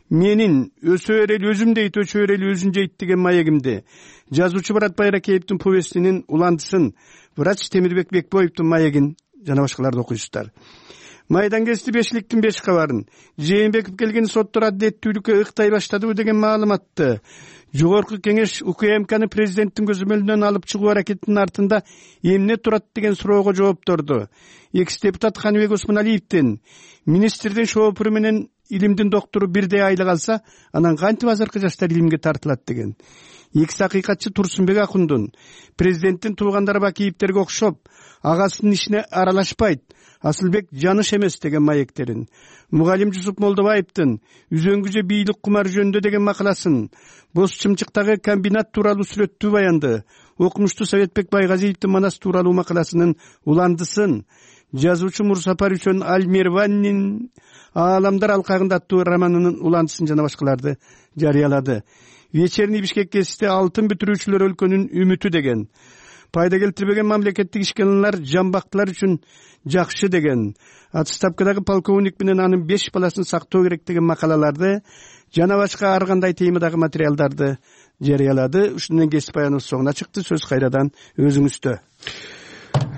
менин өсө берели өзүм дейт, өчө берели өзүн жейт деген маегимди, жазуучу Барат Байракеевдин повестинин уландысын, врач Темирбек Бекбоевдун маегин жана башкаларды окуйсуздар. Майдан гезити бешиликтин 5 кабарын, Жээнбеков келген соттор адилеттүүлүккө ыктай баштадыбы деген маалыматты, Жогорку кеңеш УКМКны президенттин көзөмөлүнөн алып чыгуу аракетинин артында эмне турат деген суроого жоопторду. Экс-депутат Ханыбек Осмоналиевдин министрдин шоопуру менен илимдин доктору бирдей айлык алса, анан кантип азыркы жаштар илимге тартылат деген. Экс-акыйкатчы Турсунбек Акундун президенттин туугандары Бакиевдерге окшоп, агасынын ишине аралашпайт, Асылбек жаныш эмес деген маектерин, Мугалим Жусуп Молдобаевдин үзөңгү бийлик кумар жөнүндө деген макаласын, Боз Чымчыктагы комбинат тууралуу сүрөттүү баянды, окумуштуу Советбек Байгазиевдин Манас тууралуу макаласынын уландысын, жазуучу Мурсапар Үчөн Аль-Мерваннин Ааламдар алкагында аттуу романынын уландысын жана башкаларды жарыялады. Вечерний Бишкек гезити алтын бүтүрүүчүлөр өлкөнүн үмүтү деген, пайда келтирбеген мамлекеттик ишканалар жамбактылар үчүн жакшы деген, отставкадагы полковник менен анын 5 баласын сактоо керек деген макалаларды жана башка ар кандай темадагы материалдарды жарыялады. Ушуну менен гезит баяныбыз соңуна чыкты. Сөз кайрадан өзүңүздө.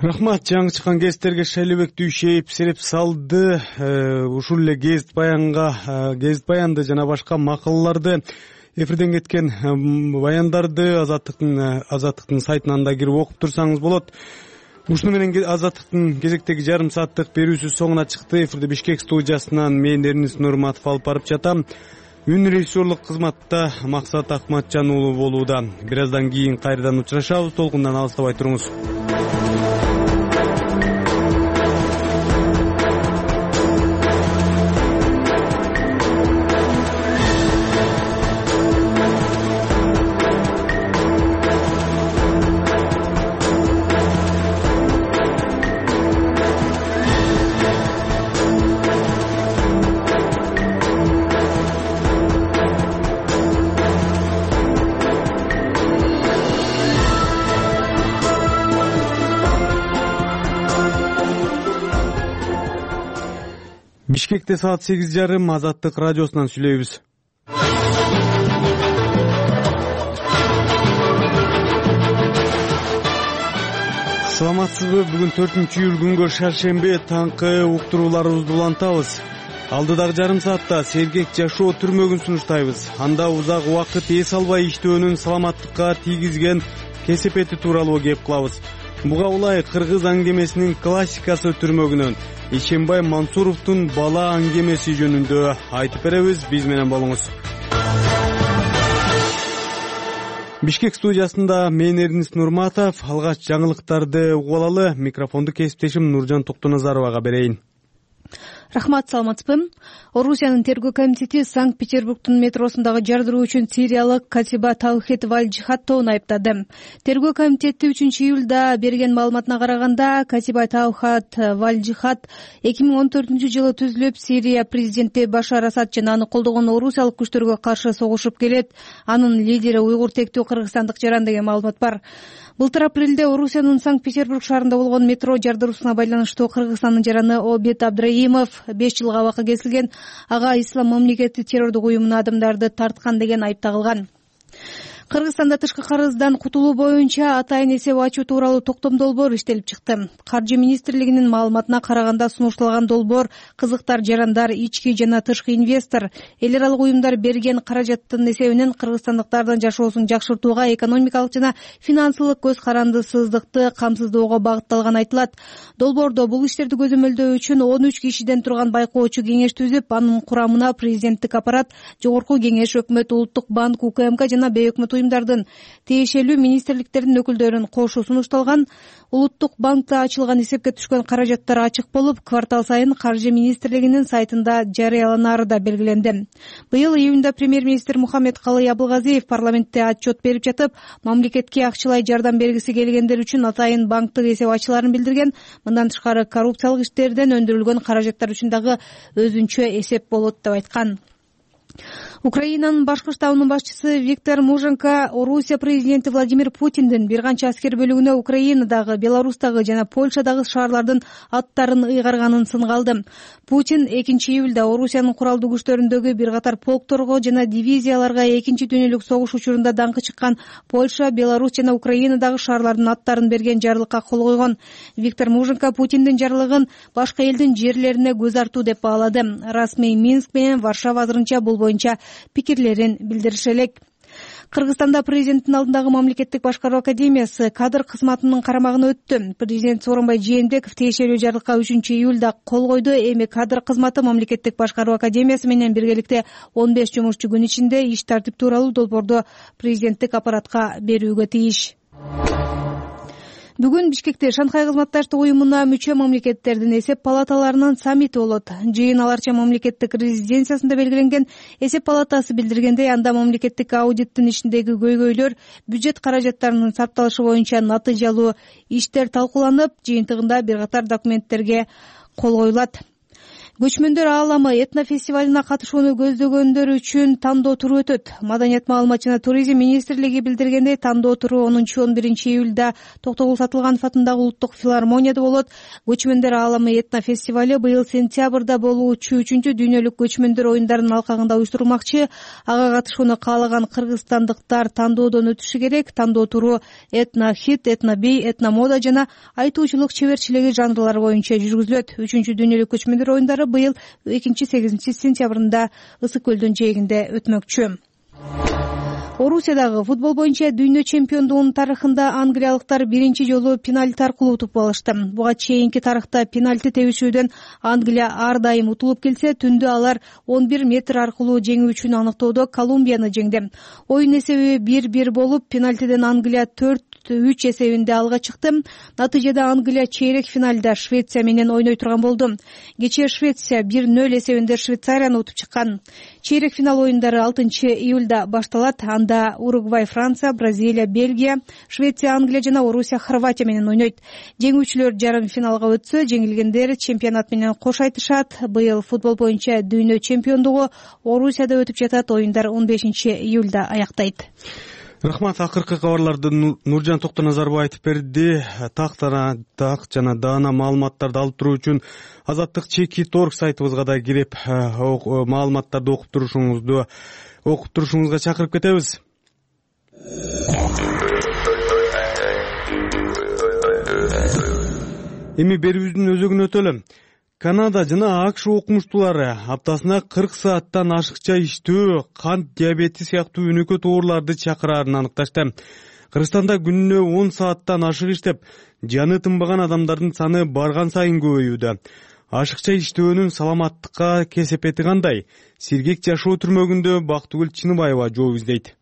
Рахмат. Жаңы чыккан гезиттерге Шайлообек Дүйшеев сереп салды. Ушул эле гезит баянды жана башка макалаларды, эфирден кеткен баяндарды Азаттыктын сайтынан да кирип окуп турсаңыз болот. Ушуну менен Азаттыктын кезектеги жарым сааттык берүүсү соңуна чыкты. Эфирди Бишкек студиясынан мен Эрнис Нурматов алып барып жатам. Үн режиссерлук кызматта Максат Акматжан уулу болууда. Бир аздан кийин кайрадан учурашабыз. Толкундан алыстабай туруңуз. Бишкекте саат 8:30 Азаттык радиосунан сүйлөйбүз. Саламатсызбы? Бүгүн 4-июль күнгө шаршемби таңкы уктурууларыбызды улантабыз. Алдыдагы жарым саатта сергек жашоо түрмөгүн сунуштайбыз. Анда узак убакыт эс албай иштөөнүн саламаттыкка тийгизген кесепети тууралуу кеп кылабыз. Буга улай кыргыз аңгемесинин классикасы түрмөгүнөн Ишембай Мансуровдун бала аңгемеси жөнүндө айтып беребиз. Биз менен болуңуз. Бишкек студиясында мен Эрнис Нурматов. Алгач жаңылыктарды угуп алалы. Микрофонду кесиптешим Нуржан Токтоназаровага берейин. Рахмат, саламатсызбы? Орусиянын тергөө комитети Санкт-Петербургдун метросундагы жардыруу үчүн сириялык Катиба Таухет Валь-Джихадтовну айыптады. Тергөө комитети 3-июлда берген маалыматына караганда, Катиба Таухет Валь-Джихад 2014-жылы түзүлүп, Сирия президенти Башар Асад жана аны колдогон орусиялык күчтөргө каршы согушуп келет. Анын лидери уйгур тектүү кыргызстандык жаран деген маалымат бар. Былтыр апрелде Орусиянын Санкт-Петербург шаарында болгон метро жардыруусуна байланыштуу Кыргызстандын жараны Обед Абдраимов 5 жылга абакка кесилген. Ага Ислам мамлекети террордук уюмуна адамдарды тарткан деген айып тагылган. Кыргызстанда тышкы карыздан кутулуу боюнча атайын эсеп ачуу тууралуу токтом долбоор иштелип чыкты. Каржы министрлигинин маалыматына караганда сунушталган долбоор кызыктар, жарандар, ички жана тышкы инвестор, эл аралык уюмдар берген каражаттын эсебинен кыргызстандыктардын жашоосун жакшыртууга, экономикалык жана финансылык көз карандысыздыкты камсыздоого багытталган айтылат. Долбоордо бул иштерди көзөмөлдөө үчүн 13 кишиден турган байкоочу кеңеш түзүп, анын курамына президенттик аппарат, жогорку кеңеш, өкмөт, улуттук банк, УКМК жана бейөкмөт уюмдардын тиешелүү министрликтердин өкүлдөрүн кошу сунушталган. Улуттук банкта ачылган эсепке түшкөн каражаттар ачык болуп, квартал сайын Каржы министрлигинин сайтында жарыяланары да белгиленди. Быйыл июнда премьер-министр Мухаммедкалый Абылгазиев парламентте отчет берип жатып, мамлекетке акчалай жардам бергиси келгендер үчүн атайын банктык эсеп ачыларын билдирген. Мындан тышкары коррупциялык иштерден өндүрүлгөн каражаттар үчүн дагы өзүнчө эсеп болот деп айткан. Украинанын башкы штабынын башчысы Виктор Муженко Орусия президенти Владимир Путиндин бир канча аскер бөлүгүнө Украинадагы, Беларустагы жана Польшадагы шаарлардын аттарын ыйгарганын сынга алды. Путин 2-июлда Орусиянын куралдуу күчтөрүндөгү бир катар полкторго жана дивизияларга Экинчи дүйнөлүк согуш учурунда даңкы чыккан Польша, Беларусь жана Украинадагы шаарлардын аттарын берген жарлыкка кол койгон. Виктор Муженко Путиндин жарлыгын башка элдин жерлерине көз артуу деп баалады. Расмий Минск менен Варшава азырынча бул боюнча пикирлерин билдириши элек. Кыргызстанда президенттин алдындагы мамлекеттик башкаруу академиясы кадр кызматынын карамагына өттү. Президент Сооронбай Жээнбеков тиешелүү жарлыкка 3-июлда кол койду. Эми кадр кызматы мамлекеттик башкаруу академиясы менен биргеликте 15 жумушчу күн ичинде иш тартип тууралуу долбоорду президенттик аппаратка берүүгө тийиш. Бүгүн Бишкекте Шанхай кызматташтык уюмуна мүчө мамлекеттердин эсеп палаталарынын саммити болот. Жыйын аларча мамлекеттик резиденциясында белгиленген. Эсеп палатасы билдиргендей, анда мамлекеттик аудиттин ишиндеги көйгөйлөр, бюджет каражаттарынын сарпталышы боюнча натыйжалуу иштер талкууланып, жыйынтыгында бир катар документтерге кол коюлат. Көчмөндөр ааламы этнофестивалына катышууну көздөгөндөр үчүн тандоо туру өтөт. Маданият, маалымат жана туризм министрлиги билдиргендей, тандоо туру 10-11 июлда Токтогул Сатылганов атындагы улуттук филармонияда болот. Көчмөндөр ааламы этнофестивали быйыл сентябрда болуучу 3-дүйнөлүк көчмөндөр оюндарынын алкагында уюштурулмакчы. Ага катышууну каалаган кыргызстандыктар тандоодон өтүшү керек. Тандоо туру этнохит, этнобий, этномода жана айтуучулук чеберчилиги жанрлары боюнча жүргүзүлөт. 3-дүйнөлүк көчмөндөр оюндары быйыл 2-8 сентябрында Ысык көлдүн жээгинде өтмөкчү. Орусиядагы футбол боюнча дүйнө чемпиондугунун тарыхында англиялыктар биринчи жолу пенальти аркылуу утуп алышты. Буга чейинки тарыхта пенальти тебишүүдөн Англия ар дайым утулуп келсе, түндө алар 11 метр аркылуу жеңүүчүнү аныктоодо Колумбияны жеңди. Оюн эсеби 1-1 болуп, пенальтиден Англия 4-3 эсебинде алга чыкты. Натыйжада Англия чейрек финалда Швеция менен ойной турган болду. Кечээ Швеция 1-0 эсебинде Швейцарияны утуп чыккан. Чейрек финал оюндары 6-июлда башталат. Анда Уругвай Франция, Бразилия Бельгия, Швеция Англия жана Орусия Хорватия менен ойнойт. Жеңүүчүлөр жарым финалга өтсө, жеңилгендер чемпионат менен кош айтышат. Быйыл футбол боюнча дүйнө чемпиондугу Орусияда өтүп жатат. Оюндар 15-июлда аяктайт. Рахмат. Акыркы кабарларды Нуржан Токтоназарбов айтып берди. Так жана даана маалыматтарды алып туруу үчүн Азаттык Чекит.org сайтыбызга да кирип маалыматтарды окуп турушуңузга чакырып кетебиз. Эми берүүбүздүн өзөгүнө өтөлү. Канада жана АКШ окумуштуулары аптасына 40 сааттан ашыкча иштөө, кант диабети сыяктуу өнөкөт ооруларды чакыраарын аныкташты. Кыргызстанда күнүнө 10 сааттан ашык иштеп, жаны тынбаган адамдардын саны барган сайын көбөйүүдө. Ашыкча иштөөнүн саламаттыкка кесепети кандай? Сергек жашоо түрмөгүндө Бактыгүл Чыныбаева жооп издейт.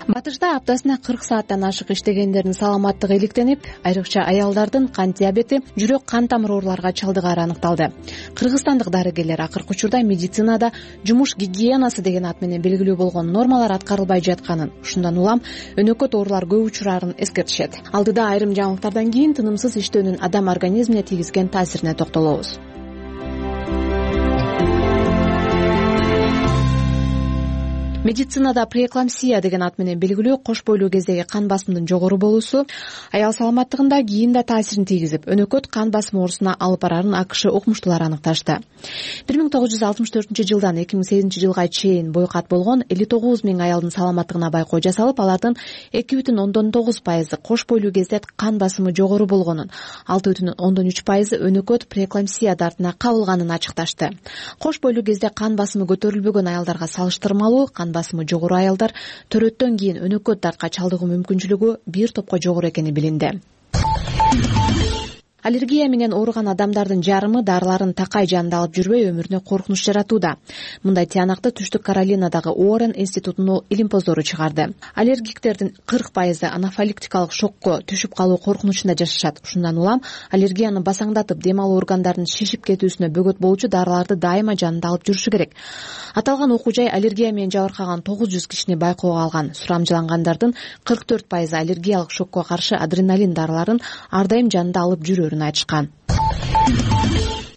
Батышта аптасына 40 сааттан ашык иштегендердин саламаттыгы иликтенип, айрыкча аялдардын кант диабети, жүрөк кан тамыр ооруларга чалдыгары аныкталды. Кыргызстандык дарыгерлер акыркы учурда медицинада жумуш гигиенасы деген ат менен белгилүү болгон нормалар аткарылбай жатканын, ушундан улам өнөкөт оорулар көп учурарын эскертишет. Алдыда айрым жаңылыктардан кийин тынымсыз иштөөнүн адам организмине тийгизген таасирине токтолобуз. Медицинада преэкламсия деген ат менен белгилүү кош бойлуу кездеги кан басымдын жогору болуусу аял саламаттыгында кийин да таасирин тийгизип, өнөкөт кан басымы оорусуна алып барарын АКШ окумуштуулары аныкташты. 1964 жылдан 2008 жылга чейин бойкат болгон 59 000 аялдын саламаттыгына байкоо жасалып, алардын 2,9% кош бойлуу кезде кан басымы жогору болгонун, 6,3% өнөкөт преэкламсия дартына кабылганын ачыкташты. Кош бойлуу кезде кан басымы көтөрүлбөгөн аялдарга салыштырмалуу кан басымы жогору аялдар төрөттөн кийин өнөкөт дартка чалдыгуу мүмкүнчүлүгү бир топко жогору экени билинди. Аллергия менен ооруган адамдардын жарымы дарыларын такай жанында алып жүрбөй өмүрүнө коркунуч жаратууда. Мындай тыянакты Түштүк Каролинадагы Уоррен институтунун илимпоздору чыгарды. Аллергиктердин 40% анафилактикалык шокко түшүп калуу коркунучунда жашашат. Ушундан улам аллергияны басаңдатып, дем алуу органдарынын шишип кетүүсүнө бөгөт болчу дарыларды дайыма жанында алып жүрүшү керек. Аталган окуу жай аллергия менен жабыркаган 900 кишини байкоого алган. Сурамжылангандардын 44% аллергиялык шокко каршы адреналин дарыларын ар дайым жанында алып жүрөөрүн айтышкан.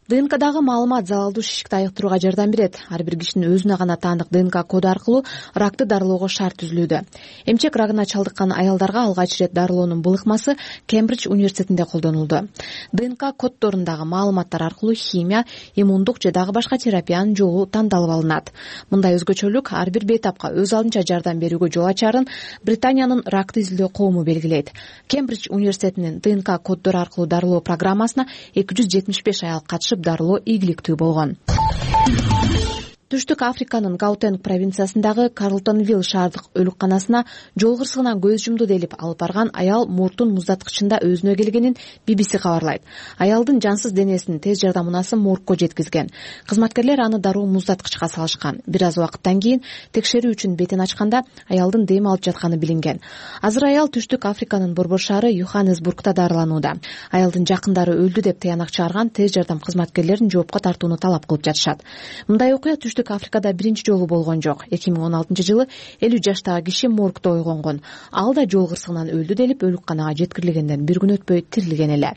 ДНКдагы маалымат залалдуу шишикти айыктырууга жардам берет. Ар бир кишинин өзүнө гана таандык ДНК коду аркылуу ракты дарылоого шарт түзүлүүдө. Эмчек рагына чалдыккан аялдарга алгач ирет дарылоонун былыкмасы Кембридж университетинде колдонулду. ДНК коддорундагы маалыматтар аркылуу химия, иммундук же дагы башка терапиянын жолу тандалып алынат. Мындай өзгөчөлүк ар бир бейтапка өз алдынча жардам берүүгө жол ачарын Британиянын ракты изилдөө коому белгилейт. Кембридж университетинин ДНК коддору аркылуу дарылоо программасына 275 аял катышып дарылоо ийгиликтүү болгон. Түштүк Африканын Гаутенг провинциясындагы Карлтонвилл шаардык өлүкканасына жол кырсыгынан көз жумду делип алып барган аял муртун муздаткычында өзүнө келгенин BBC кабарлайт. Аялдын жансыз денесин тез жардам унасы моргко жеткизген. Кызматкерлер аны дароо муздаткычка салышкан. Бир аз убакыттан кийин текшерүү үчүн бетин ачканда аялдын дем алып жатканы билинген. Азыр аял Түштүк Африканын борбор шаары Йоханнесбургда дарыланууда. Аялдын жакындары өлдү деп таянак чыгарган тез жардам кызматкерлерин жоопко тартууну талап кылып жатышат. Мындай окуя Түштүк Африкада биринчи жолу болгон жок. 2016 жылы 50 жаштагы киши моргдо ойгонгон. Ал да жол кырсыгынан өлдү делип өлүкканага жеткирилгенден бир күн өтпөй тирилген эле.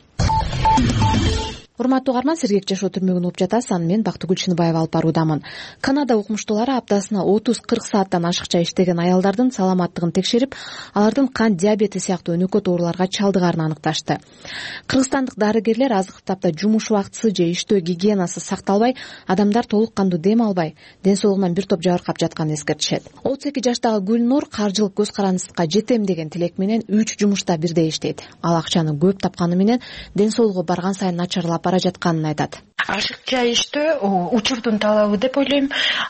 Урматтуу угарман, сергек жашоо түрмөгүн угуп жатасыз. Аны мен Бактыгүл Чыныбаева алып баруудамын. Канада окумуштуулары аптасына 30-40 сааттан ашыкча иштеген аялдардын саламаттыгын текшерип, алардын кант диабети сыяктуу өнөкөт ооруларга чалдыгарын аныкташты. Кыргызстандык дарыгерлер азыркы тапта жумуш убактысы же иштөө гигиенасы сакталбай, адамдар толук кандуу дем албай, ден соолугунан бир топ жабыркап жатканын эскертишет. 32 жаштагы Гүлнур каржылык көз карандысыкка жетем деген тилек менен 3 жумушта бирдей иштейт. Ал акчаны көп тапканы менен ден соолугу барган сайын начарлап бара жатканын айтат. Ашыкча иштөө учурдун талабы деп ойлойм.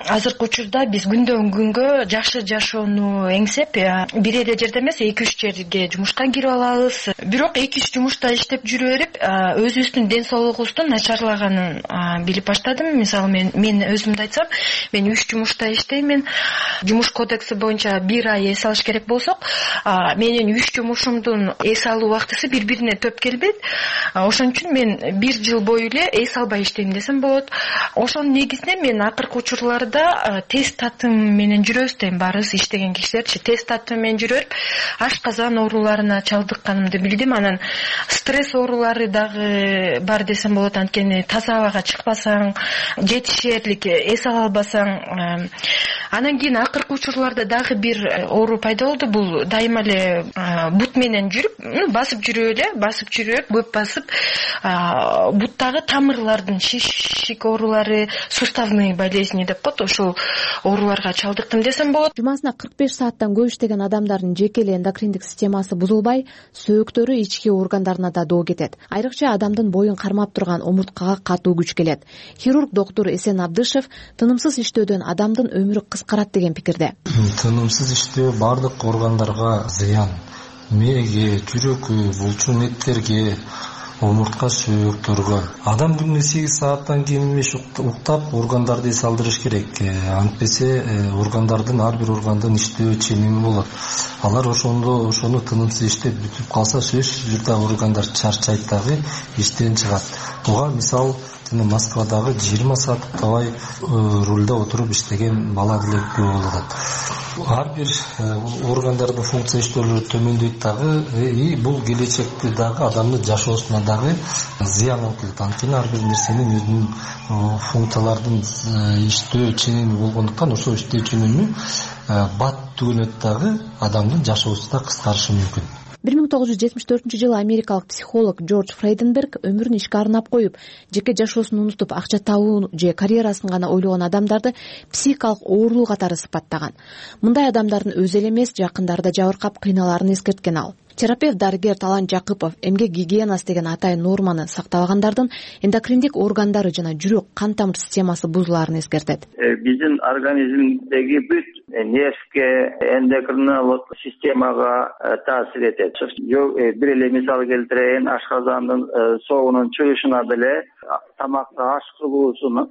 Азыркы учурда биз күндөн күнгө жакшы жашоону эңсеп, бир эле жерде эмес, 2-3 жерге жумушка кирип алабыз. Бирок 2-3 жумушта иштеп жүрө берип, өзүбүздүн ден соолугубуздун начарлаганын билип баштадым. Мисалы мен өзүмдү айтсам, мен 3 жумушта иштеймин. Жумуш кодекси боюнча 1 ай эс алыш керек болсок, менин 3 жумушумдун эс алуу убактысы бири-бирине төп келбейт. Ошон үчүн мен бир жыл бою эле эс албай иштейм десем болот. Ошонун негизинде мен акыркы учурларда тест татым менен жүрөбүз дейм, баарыбыз иштеген кишилерчи тест татым менен жүрүп ашказан ооруларына чалдыкканымды билдим. Анан стресс оорулары дагы бар десем болот, анткени таза абага чыкпасаң, жетишерлик эс ала албасаң. Анан кийин акыркы учурларда дагы бир оору пайда болду. Бул дайыма эле бут менен жүрүп, басып жүрүп, көп басып, буттагы тамырлардын шишик оорулары, суставные болезни деп коет, ошол ооруларга чалдыктым десем болот. Жумасына 45 сааттан көп иштеген адамдардын жеке эле эндокриндик системасы бузулбай, сөөктөрү, ички органдарына да доо кетет. Айрыкча адамдын боюн кармап турган омурткага катуу күч келет. Хирург доктор Эсен Абдышев тынымсыз иштөөдөн адамдын өмүрү кыскарат деген пикирде. Тынымсыз иштөө бардык органдарга зыян. Мээге, жүрөккө, булчун эттерге, омуртка, сөөктөргө. Адам күнүнө 8 сааттан кем эмес уктап, органдарды эс алдырыш керек. Антпесе органдардын ар бир органдын иштөө ченеми болот. Алар ошону тынымсыз иштеп бүтүп калса, сөзсүз түрдө органдар чарчайт дагы, иштен чыгат. Буга мисал Москвадагы 20 саат уктабай рулда отуруп иштеген бала деле күбө болот. Ар бир органдардын функция иштөөлөрү төмөндөйт дагы, бул келечекте дагы адамдын жашоосуна дагы зыян алып келет. Анткени ар бир нерсенин өзүнүн функциялардын иштөө ченеми болгондуктан ошол иштөө ченеми бат түгөнөт дагы адамдын жашоосу да кыскарышы мүмкүн. 1974-жылы америкалык психолог Джордж Фрейденберг өмүрүн ишке арнап коюп, жеке жашоосун унутуп, акча табуу же карьерасын гана ойлогон адамдарды психикалык оорулуу катары сыпаттаган. Мындай адамдардын өзү эле эмес, жакындары да жабыркап кыйналарын эскерткен ал. Терапевт дарыгер Талант Жакыпов эмгек гигиенасы деген атайын норманы сактабагандардын эндокриндик органдары жана жүрөк, кан тамыр системасы бузулаарын эскертет. Биздин организмдеги бүт нервке, эндокриналык системага таасир этет. Бир эле мисал келтирейин, ашказандын соогунун чыгышына деле тамакты аш кылуусун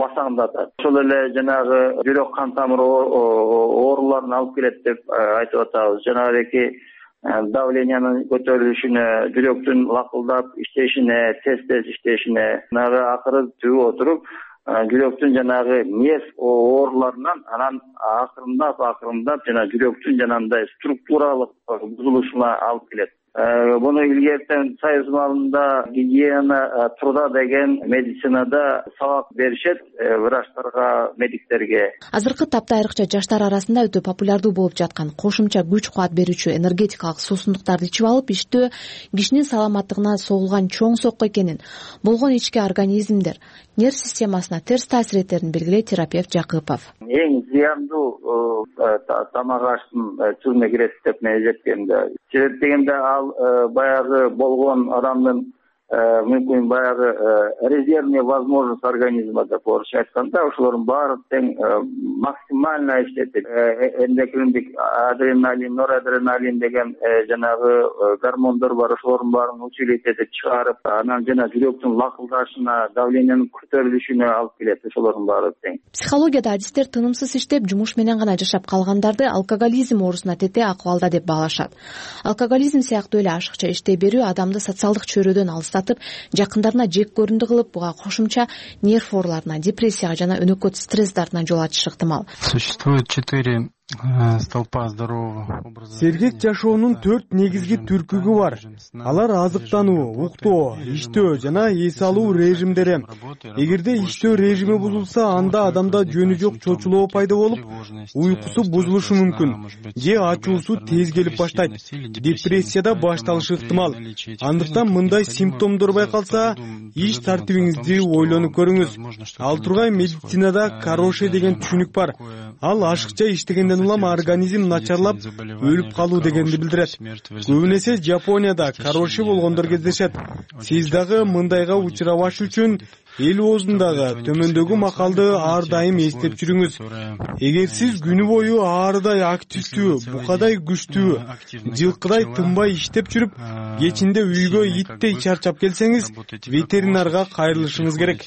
басаңдатат. Ошол эле жанагы жүрөк кан тамыр ооруларын алып келет деп айтып атабыз. Жанагы давлениянын көтөрүлүшүнө, жүрөктүн лакылдап иштешине, тез иштешине, акыры түбү отуруп, жүрөктүн жанагы нерв ооруларынан анан акырындап жана жүрөктүн жанагындай структуралык бузулушуна алып келет. Буну илгертен Союз маалында гигиена труда деген медицинада сабак беришет врачтарга, медиктерге. Азыркы тапта айрыкча жаштар арасында өтө популярдуу болуп жаткан кошумча күч кубат берүүчү энергетикалык суусундуктарды ичип алып иштөө кишинин саламаттыгына согулган чоң сокку экенин, болгон ички организмдер нерв системасына терс таасир этерин белгилейт терапевт Жакыпов. Эң зыяндуу тамак аштын түрүнө кирет деп мен эсептейм. Себеп дегенде баягы болгон адамдын мүмкүн баягы резервный возможность организма деп орусча айтканда, ошолордун баары тең максимально иштетип, эндокриндик адреналин, норадреналин деген жанагы гормондор бар, ошолордун баарын усилить этип чыгарып, анан жана жүрөктүн лакылдашына, давлениянын көтөрүлүшүнө алып келет. Ошолордун баары тең. Психологияда адистер тынымсыз иштеп, жумуш менен гана жашап калгандарды алкоголизм оорусуна тете акыбалда деп баалашат. Алкоголизм сыяктуу эле ашыкча иштей берүү адамды социалдык чөйрөдөн алыстатып, жакындарына жек көрүндү кылып, буга кошумча нерв ооруларына, депрессияга жана өнөкөт стресс дартына жол ачышы ыктымал. Существует 4 столпа здорового образа. Сергек жашоонун 4 негизги түркүгү бар. Алар азыктануу, уктоо, иштөө жана эс алуу режимдери. Эгерде иштөө режими бузулса, анда адамда жөнү жок чочулоо пайда болуп, уйкусу бузулушу мүмкүн, же ачуусу тез келип баштайт. Депрессияда башталышы ыктымал. Андыктан мындай симптомдор байкалса, иш тартибиңизди ойлонуп көрүңүз. Ал тургай медицинада кароше деген түшүнүк бар. Ал ашыкча иштегенден улам организм начарлап, өлүп калуу дегенди билдирет. Көбүн эсе Жапонияда кароше болгондор кездешет. Сиз дагы мындайга учурабаш үчүн эл оозундагы төмөндөгү макалды ар дайым эстеп жүрүңүз. Эгер сиз күнү бою аарыдай активдүү, букадай күчтүү, жылкыдай тынбай иштеп жүрүп, кечинде үйгө иттей чарчап келсеңиз, ветеринарга кайрылышыңыз керек.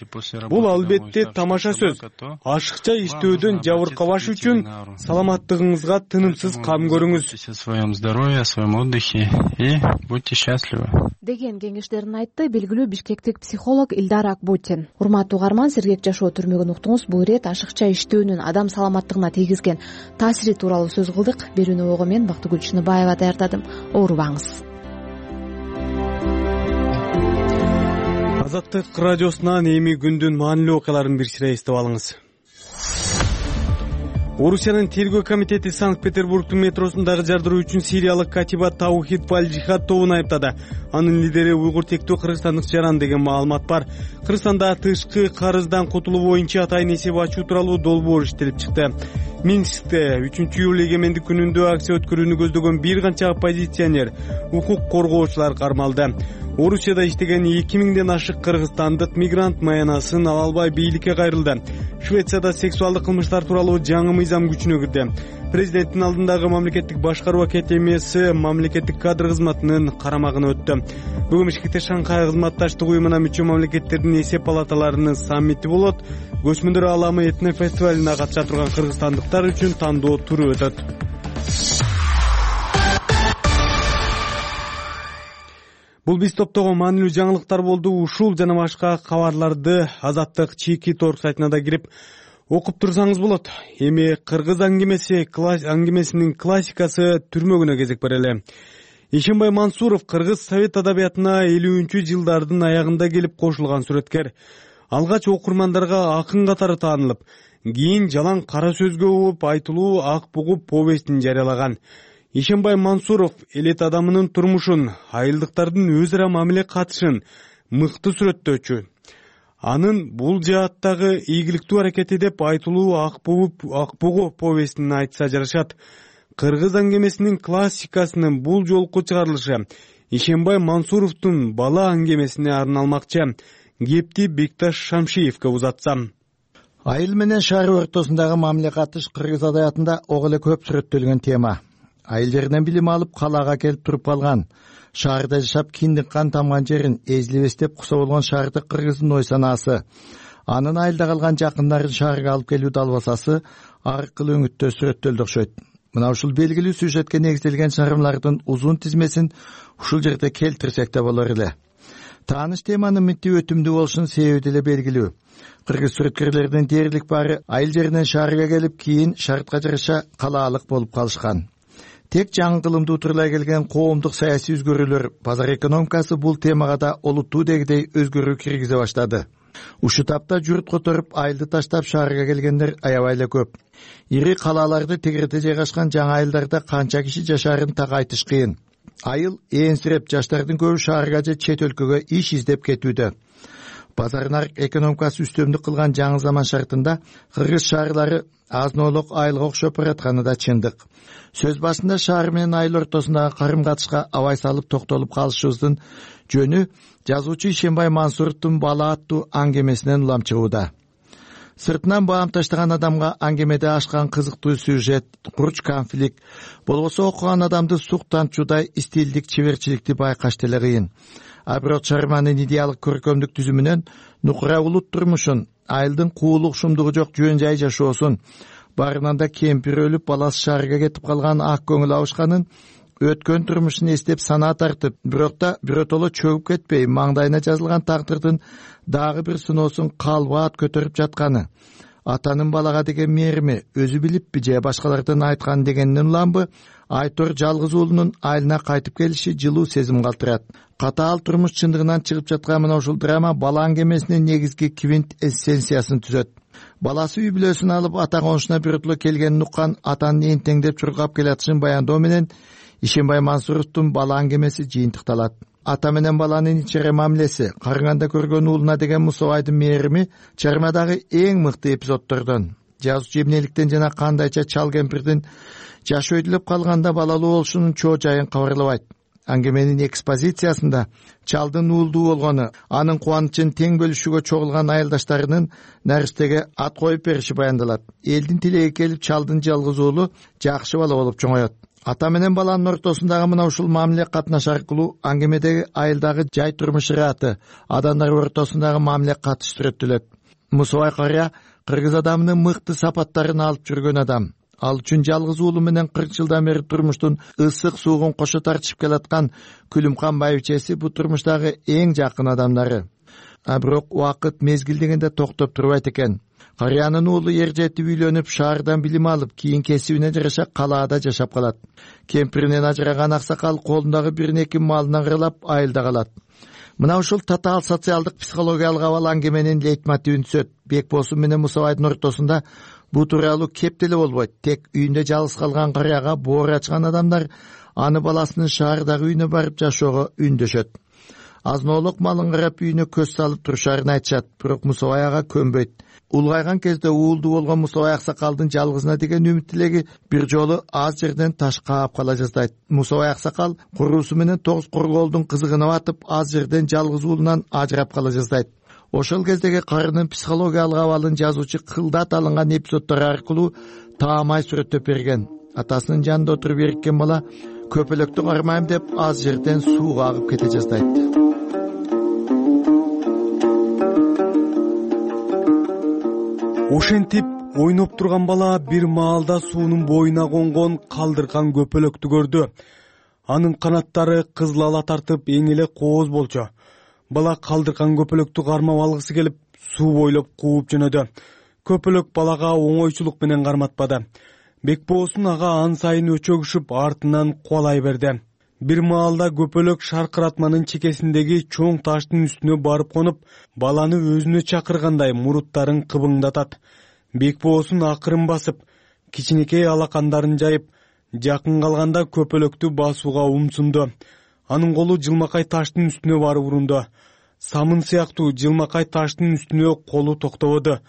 Бул албетте тамаша сөз. Ашыкча иштөөдөн жабыркабаш үчүн саламаттыгыңызга тынымсыз кам көрүңүз. О своем здоровье, о своем отдыхе и будьте счастливы. деген кеңештерин айтты белгилүү бишкектик психолог Илдар Акбутин. Урматтуу угарман, сергек жашоо түрмөгүн уктуңуз. Бул ирет ашыкча иштөөнүн адам саламаттыгына тийгизген таасири тууралуу сөз кылдык. Берүүнү ого мен Бактыгүл Чыныбаева даярдадым. Оорубаңыз. Азаттык радиосунан эми күндүн маанилүү окуяларын бир сыйра эстеп алыңыз. Орусиянын тергөө комитети Санкт-Петербургдун метросундагы жардыруу үчүн сириялык катиба Таухид Валь-Жихад тобун айыптады. Анын лидери уйгур тектүү кыргызстандык Жаран деген маалымат бар. Кыргызстанда тышкы карыздан кутулуу боюнча атайын эсеп ачуу тууралуу долбоор иштелип чыкты. Минскте 3-июль эгемендик күнүндө акция өткөрүүнү көздөгөн бир канча оппозиционер, укук коргоочулар кармалды. Орусияда иштеген 2000ден ашык кыргызстандык мигрант маянасын ала албай бийликке кайрылды. Швецияда сексуалдык кылмыштар тууралуу жаңы мыйзам күчүнө кирди. Президенттин алдындагы мамлекеттик башкаруу академиясы мамлекеттик кадр кызматынын карамагына өттү. Бүгүн Бишкекте Шанхай кызматташтык уюмуна мүчө мамлекеттердин эсеп палаталарынын саммити болот. Көчмөндөр ааламы этно фестивалына катыша турган кыргызстандыктар үчүн тандоо туру өтөт. Бул биз топтогон маанилүү жаңылыктар болду. Ушул жана башка кабарларды Азаттык чийки торг сайтына да кирип окуп турсаңыз болот. Эми кыргыз аңгемесинин классикасы түрмөгүнө кезек берели. Ишенбай Мансуров кыргыз совет адабиятына 50-жылдардын аягында келип кошулган сүрөткер. Алгач окурмандарга акын катары таанылып, кийин жалаң кара сөзгө болуп айтылуу Ак бугу повестин жарыялаган. Ишенбай Мансуров элет адамынын турмушун, айылдыктардын өз ара мамиле катышын мыкты сүрөттөөчү. Анын бул жааттагы ийгиликтүү аракети деп айтылуу Ак бугу повестин айтса жарашат. Кыргыз аңгемесинин классикасынын бул жолку чыгарылышы Ишенбай Мансуровдун бала аңгемесине арналмакчы. Кепти Бекташ Шамшиевке узатсам. Айыл менен шаар ортосундагы мамиле катыш кыргыз адабиятында ого эле көп сүрөттөлгөн тема. Айыл жеринен билим алып калаага келип туруп калган, шаарда жашап киндик кан тамган жерин эзилебес деп куса болгон шаардык кыргыздын ой санаасы, анын айылда калган жакындарын шаарга алып келүү далбасасы ар кыл өңүттө сүрөттөлдү окшойт. Мына ушул белгилүү сюжетке негизделген чыгармалардын узун тизмесин ушул жерде келтирсек да болор эле. Тааныш теманын мынтип өтүмдүү болушунун себеби деле белгилүү. Кыргыз сүрөткерлеринин дээрлик баары айыл жеринен шаарга келип, кийин шартка жараша калаалык болуп калышкан. Тек жаңы кылымдуу утурлай келген коомдук саясий өзгөрүүлөр, базар экономикасы бул темага да олуттуу дегидей өзгөрүү киргизе баштады. Ушу тапта журт которуп, айылды таштап шаарга келгендер аябай эле көп. Ири калааларды тегерете жайгашкан жаңы айылдарда канча киши жашаарын так айтыш кыйын. Айыл ээнсиреп, жаштардын көбү шаарга же чет өлкөгө иш издеп кетүүдө. Базар нарык экономикасы үстөмдүк кылган жаңы заман шартында кыргыз шаарлары азноолук айылга окшоп баратканы да чындык. Сөз башында шаар менен айыл ортосундагы карым катышка абай салып токтолуп калышыбыздын жөнү жазуучу Ишенбай Мансуровдун бала аттуу аңгемесинен улам чыгууда. Сыртынан баам таштаган адамга аңгемеде ашкан кызыктуу сюжет, курч конфликт, болбосо окуган адамды сук тамчуудай стилдик чеберчиликти байкаш деле кыйын. А бирок чыгарманын идеалдык көркөмдүк түзүмүнөн нукура улут турмушун, айылдын куулук шумдугу жок жөн жай жашоосун, барынан да кемпир өлүп баласы шаарга кетип калган ак көңүл абышканын, өткөн турмушун эстеп санаа тартып, бирок да биротоло чөгүп кетпей, маңдайына жазылган тагдырдын дагы бир сыноосун калбаат көтөрүп жатканы, атанын балага деген мээрими өзү билиппи же башкалардын айткан дегенинен уламбы, Айтор жалгыз уулунун айылына кайтып келиши жылуу сезим калтырат. Катаал турмуш чындыгынан чыгып жаткан мына ушул драма бала аңгемесинин негизги квинт эссенциясын түзөт. Баласы үй бүлөсүн алып ата конушуна биротоло келгенин уккан атанын энтеңдеп чуркап келатышын баяндоо менен Ишенбай Мансуровдун бала аңгемеси жыйынтыкталат. Ата менен баланын ичере мамилеси, карыганда көргөн уулуна деген Мусабайдын мээрими чыгармадагы эң мыкты эпизоддордон. Жазуучу эмнеликтен жана кандайча чал кемпирдин жаш өйдүлөп калганда балалуу болушунун чоо жайын кабарлабайт. Аңгеменин экспозициясында чалдын уулдуу болгону, анын кубанычын тең бөлүшүүгө чогулган айылдаштарынын наристеге ат коюп бериши баяндалат. Элдин тилеги келип чалдын жалгыз уулу жакшы бала болуп чоңоет. Ата менен баланын ортосундагы мына ушул мамиле катнаш аркылуу аңгемедеги айылдагы жай турмуш ыраты, адамдар ортосундагы мамиле катыш сүрөттөлөт. Мусабай карыя кыргыз адамынын мыкты сапаттарын алып жүргөн адам. Ал үчүн жалгыз уулу менен 40 жылдан бери турмуштун ысык суугун кошо тартышып келаткан Күлүмкан байбичеси бу турмуштагы эң жакын адамдары. Бирок убакыт мезгил дегенде токтоп турбайт экен. Карыянын уулу эржетип үйлөнүп, шаардан билим алып, кийин кесибине жараша калаада жашап калат. Кемпиринен ажыраган аксакал колундагы бир-эки малынан кырылап айылда калат. Мына ушул татаал социалдык психологиялык абал аңгеменин лейтмотивин түзөт. Бекбосун менен Мусабайдын ортосунда бу тууралуу кеп деле болбойт. Тек үйүндө жалгыз калган карыяга боор ачкан адамдар аны баласынын шаардагы үйүнө барып жашоого үндөшөт. Азноолук малын карап үйүнө көз салып турушарын айтышат, бирок Мусабай ага көнбөйт. Улгайган кезде уулду болгон Мусабай аксакалдын жалгызына деген үмүт тилеги бир жолу аз жерден таш каап кала жаздайт. Мусабай аксакал куруусу менен тогуз корголдун кызыгына батып, аз жерден жалгыз уулунан ажырап кала жаздайт. Ошол кездеги карынын психологиялык абалын жазуучу кылдат алынган эпизоддор аркылуу таамай сүрөттөп берген. Атасынын жанында отуруп эриккен бала көпөлөктү кармайм деп аз жерден сууга агып кете жаздайт. Ошентип ойноп турган бала бир маалда суунун боюна конгон калдыркан көпөлөктү көрдү. Анын канаттары кызыл ала тартып эң эле кооз болчу. Бала калдыркан көпөлөктү кармап алгысы келип, суу бойлоп кууп жөнөдү. Көпөлөк балага оңойчулук менен карматпады. Бекбоосун ага ан сайын өчөгүшүп артынан кубалай берди. Бир маалда көпөлөк шаркыратманын чекесиндеги чоң таштын үстүнө барып конуп, баланы өзүнө чакыргандай муруттарын кыбыңдатат. Бекбоосун акырын басып, кичинекей алакандарын жайып, жакын калганда көпөлөктү басууга умсунду. Анын колу жылмакай таштын үстүнө барып урунду. Самын сыяктуу жылмакай таштын үстүнө колу токтободу.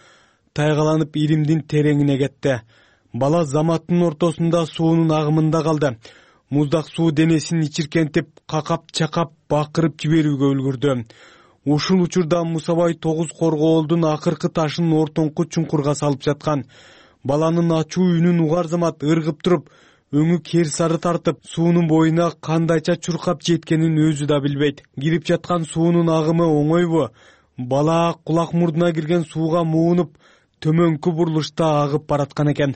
Тайгаланып иримдин тереңине кетти. Бала заматтын ортосунда суунун агымында калды. Муздак суу денесин ичиркентип, какап-чакап, бакырып жиберүүгө үлгүрдү. Ушул учурда Мусабай 9 коргоолдун акыркы ташын ортоңку чуңкурга салып жаткан. Баланын ачуу үнүн угар замат ыргып туруп, өңү кер сары тартып, суунун боюна кандайча чуркап жеткенин өзү да билбейт. Кирип жаткан суунун агымы оңойбу? Бала кулак мурдуна кирген сууга муунуп, төмөнкү бурулушта агып бараткан экен.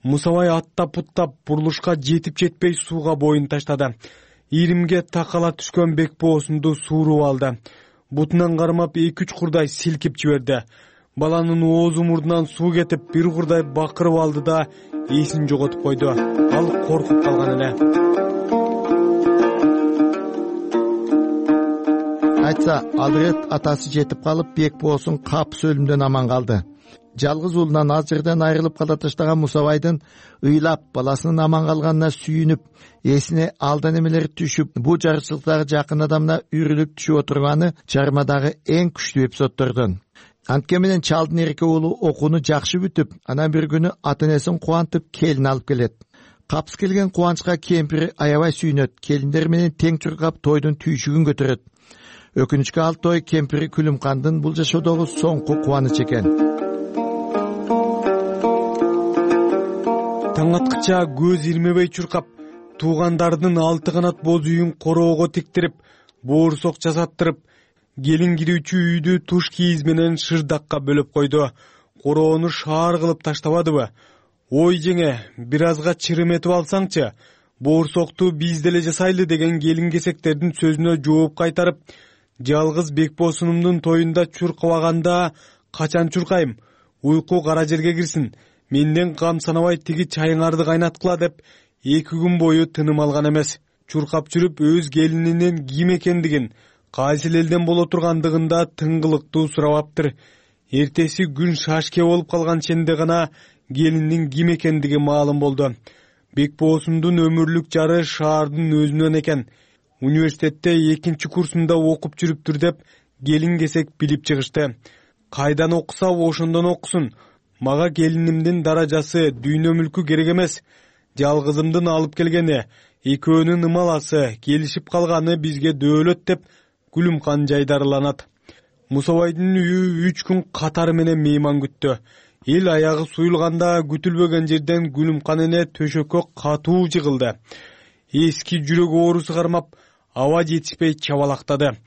Мусабай аттап-путтап бурулушка жетип-жетпей сууга боюн таштады. Иримге такала түшкөн Бекбоосунду сууруп алды. Бутунан кармап 2-3 курдай силкип жиберди. Баланын оозу мурдунан суу кетип, бир курдай бакырып алды да эсин жоготуп койду. Ал коркуп калган эле. Айтса, ал ирет атасы жетип калып, Бекбоосун капыс өлүмдөн аман калды. Жалгыз уулунан аз жерден айрылып кала таштаган Мусабайдын ыйлап, баласынын аман калганына сүйүнүп, эсине алдан эмелери түшүп, бу жарычылыктагы жакын адамына үрүлүп түшүп отурганы чармадагы эң күчтүү эпизоддордон. Антке менен чалдын эрке уулу окууну жакшы бүтүп, анан бир күнү ата-энесин кубантып келин алып келет. Капыс келген кубанычка кемпири аябай сүйүнөт, келиндер менен тең чуркап тойдун түйшүгүн көтөрөт. Өкүнүчкө ал той кемпири Күлүмкандын бул жашоодогу соңку кубанычы экен. Таң аткыча көз ирмебей чуркап, туугандардын 6 канат боз үйүн короого тиктирип, боорсок жасаттырып, келин кирүүчү үйдү туш кийиз менен шырдакка бөлөп койду. Короону шаар кылып таштабадыбы? Ой жеңе, бир азга чырым этип алсаңчы, боорсокту биз деле жасайлы деген келин кесектердин сөзүнө жооп кайтарып, жалгыз Бекбоосунумдун тоюнда чуркабаганда качан чуркайм? Уйку кара жерге кирсин. Менден кам санабай тиги чайыңарды кайнаткыла деп 2 күн бою тыным алган эмес. Чуркап жүрүп өз келининин ким экендигин, кайсы элден боло тургандыгын да тыңгылыктуу сурабаптыр. Эртеси күн шашке болуп калган ченде гана келиндин ким экендиги маалым болду. Бекбоосундун өмүрлүк жары шаардын өзүнөн экен. Университетте 2-чи курсунда окуп жүрүптүр деп келин кесек билип чыгышты. Кайдан окуса ошондон окусун. Мага келинимдин даражасы, дүйнө мүлкү керек эмес. Жалгызымдын алып келгени, экөөнүн ымаласы, келишип калганы бизге дөөлөт деп Күлүмкан жайдарыланат. Мусабайдын үйү 3 күн катары менен мейман күттү. Эл аягы суюлганда күтүлбөгөн жерден Күлүмкан эне төшөккө катуу жыгылды. Эски жүрөк оорусу кармап, аба жетишпей чабалактады.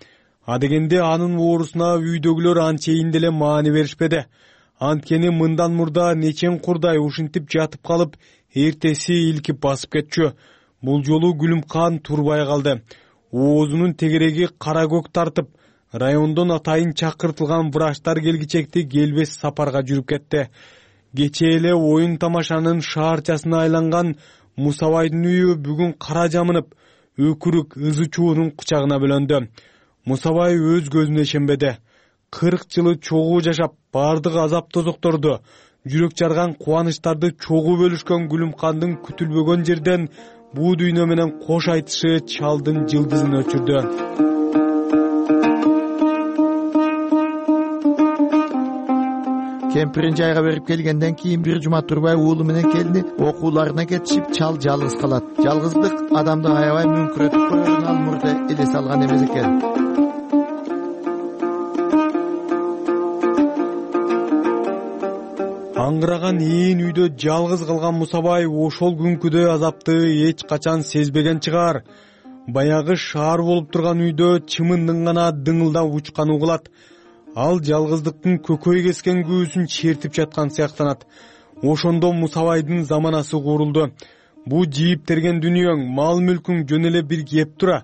Адегенде анын оорусуна үйдөгүлөр анчейин деле маани беришпеди. Анткени мындан мурда нечен курдай ушинтип жатып калып, эртеси илкип басып кетчү. Бул жолу Гүлүмкан турбай калды. Оозунун тегереги кара көк тартып, райондон атайын чакыртылган врачтар келгичекти келбес сапарга жүрүп кетти. Кечээ эле оюн тамашанын шаарчасына айланган Мусабайдын үйү бүгүн кара жамынып, өкүрүк ызы чуунун кучагына бөлөндү. Мусабай өз көзүнө ишенбеди. 40 жылы чогуу жашап, бардык азап тозокторду, жүрөк жарган кубанычтарды чогуу бөлүшкөн Гүлүмкандын күтүлбөгөн жерден буу дүйнө менен кош айтышы чалдын жылдызын өчүрдү. Кемпирин жайга берип келгенден кийин бир жума турбай уулу менен келини окууларына кетишип, чал жалгыз калат. Жалгыздык адамды аябай мүңкүрөтүп коерун ал мурда элес алган эмес экен. Аңгыраган ээн үйдө жалгыз калган Мусабай ошол күнкүдөй азапты эч качан сезбеген чыгар. Баягы шаар болуп турган үйдө чымындын гана дыңылдап учкан угулат. Ал жалгыздыктын көкөй кескен күүсүн чертип жаткан сыяктанат. Ошондо Мусабайдын заманасы курулду. Бу жийип-терген дүнүйөң, мал-мүлкүң жөн эле бир кеп тура.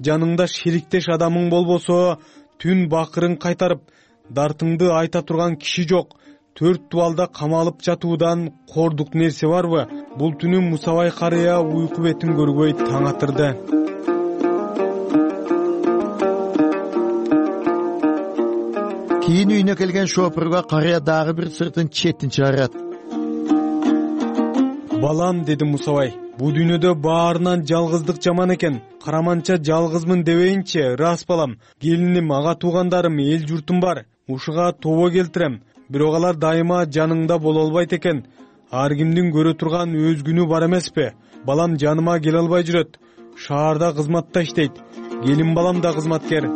Жаныңда шериктеш адамың болбосо, түн бакырын кайтарып, дартыңды айта турган киши жок. 4 дубалда камалып жатуудан кордук нерсе барбы? Бул түнү Мусабай карыя уйку бетин көрбөй таң атырды. Кийин үйүнө келген шопурга карыя дагы бир сыртын четин чыгарат. Балам, деди Мусабай, бу дүйнөдө баарынан жалгыздык жаман экен. Караманча жалгызмын дебейинчи, рас балам. Келиним, ага туугандарым, эл журтум бар. Ушуга тобо келтирем. Бирок алар дайыма жаныңда боло албайт экен. Ар кимдин көрө турган өз күнү бар эмеспи? Балам жаныма келе албай жүрөт. Шаарда кызматта иштейт. Келин балам да кызматкер.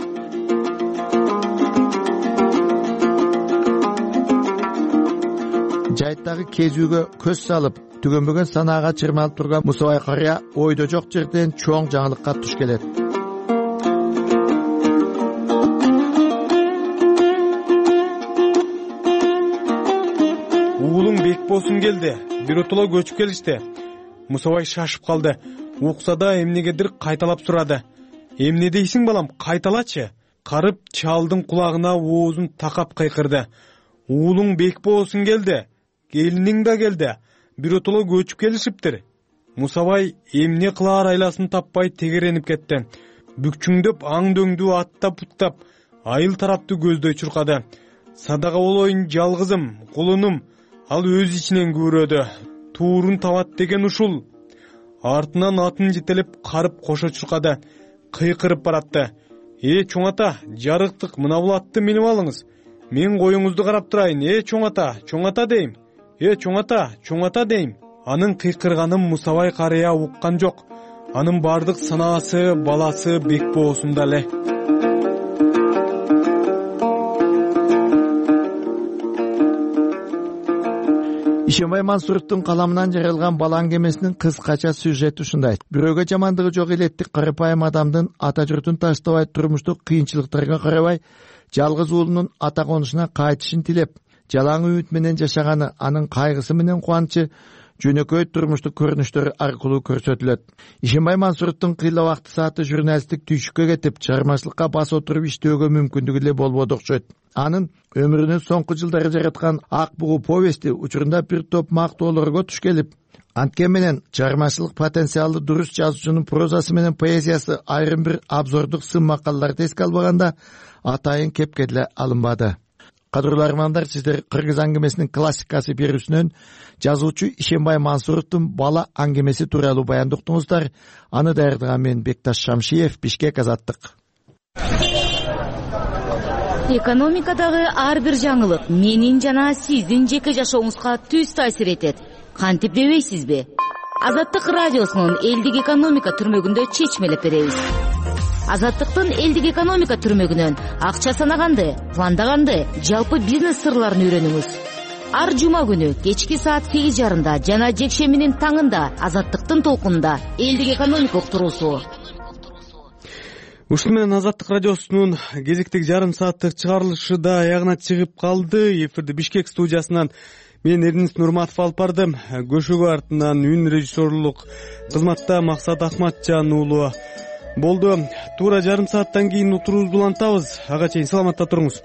Жайттагы кезүүгө көз салып, түгөнбөгөн санаага чырмалып турган Мусабай карыя ойдо жок жерден чоң жаңылыкка туш келет. Уулуң Бекбосун келди. Биротоло көчүп келишти. Мусабай шашып калды. Укса да эмнегедир кайталап сурады. Эмне дейсиң балам, кайталачы? Карып чалдын кулагына оозун такап кыйкырды. Уулуң Бекбосун келди. Келиниң да келди. Биротоло көчүп келишиптир. Мусабай эмне кылаар айласын таппай тегеренип кетти. Бүкчүңдөп аң-дөңдү аттап путтап, айыл тарапты көздөй чуркады. Садага болоюн жалгызым, кулунум. Ал өз ичинен күбүрөдү. Туурун табат деген ушул. Артынан атын жетелеп карып кошо чуркады. Кыйкырып баратты. Чоң ата, жарыктык, мына бул атты минип алыңыз. Мен коюңузду карап турайын. Чоң ата дейм. Чоң ата дейм. Анын кыйкырганын Мусабай карыя уккан жок. Анын бардык санаасы баласы Бекбосунда эле. Ишенбай Мансуровдун каламынан жаралган бала аңгемесинин кыскача сюжети ушундай. Бирөөгө жамандыгы жок элеттик карапайым адамдын ата журтун таштабай, турмуштук кыйынчылыктарга карабай, жалгыз уулунун ата конушуна кайтышын тилеп, жалаң үмүт менен жашаганы, анын кайгысы менен кубанычы жөнөкөй турмуштук көрүнүштөр аркылуу көрсөтүлөт. Ишенбай Мансуровдун кыйла убакты сааты журналисттик түйшүккө кетип, чыгармачылыкка бас отуруп иштөөгө мүмкүндүгү эле болбоду окшойт. Анын өмүрүнүн соңку жылдары жараткан Ак бугу повести учурунда бир топ мактоолорго туш келип, анткен менен чыгармачылык потенциалы дурус жазуучунун прозасы менен поэзиясы айрым бир абзордук сын макалаларды эске албаганда атайын кепке деле алынбады. Кадырлуу армандар, сиздер Кыргыз аңгемесинин классикасы берүүсүнөн жазуучу Ишенбай Мансуровдун бала аңгемеси тууралуу баянды уктуңуздар. Аны даярдаган мен Бекташ Шамшиев, Бишкек, Азаттык. Экономикадагы ар бир жаңылык менин жана сиздин жеке жашооңузга түз таасир этет. Кантип дебейсизби? Азаттык радиосунун элдик экономика түрмөгүндө чечмелеп беребиз. Азаттыктын элдик экономика түрмөгүнөн акча санаганды, пландаганды, жалпы бизнес сырларын үйрөнүңүз. Ар жума күнү кечки саат 8:30 жана жекшембинин таңында Азаттыктын толкунунда элдик экономика уктуруусу. ушуну менен Азаттык радиосунун кезектеги жарым сааттык чыгарылышы да аягына чыгып калды. Эфирди Бишкек студиясынан мен Эрдинис Нурматов алып бардым. Көшөгө артынан үн режиссерлук кызматта Максат Акматжан уулу болду. Туура жарым сааттан кийин утурубузду улантабыз. Ага чейин саламатта туруңуз.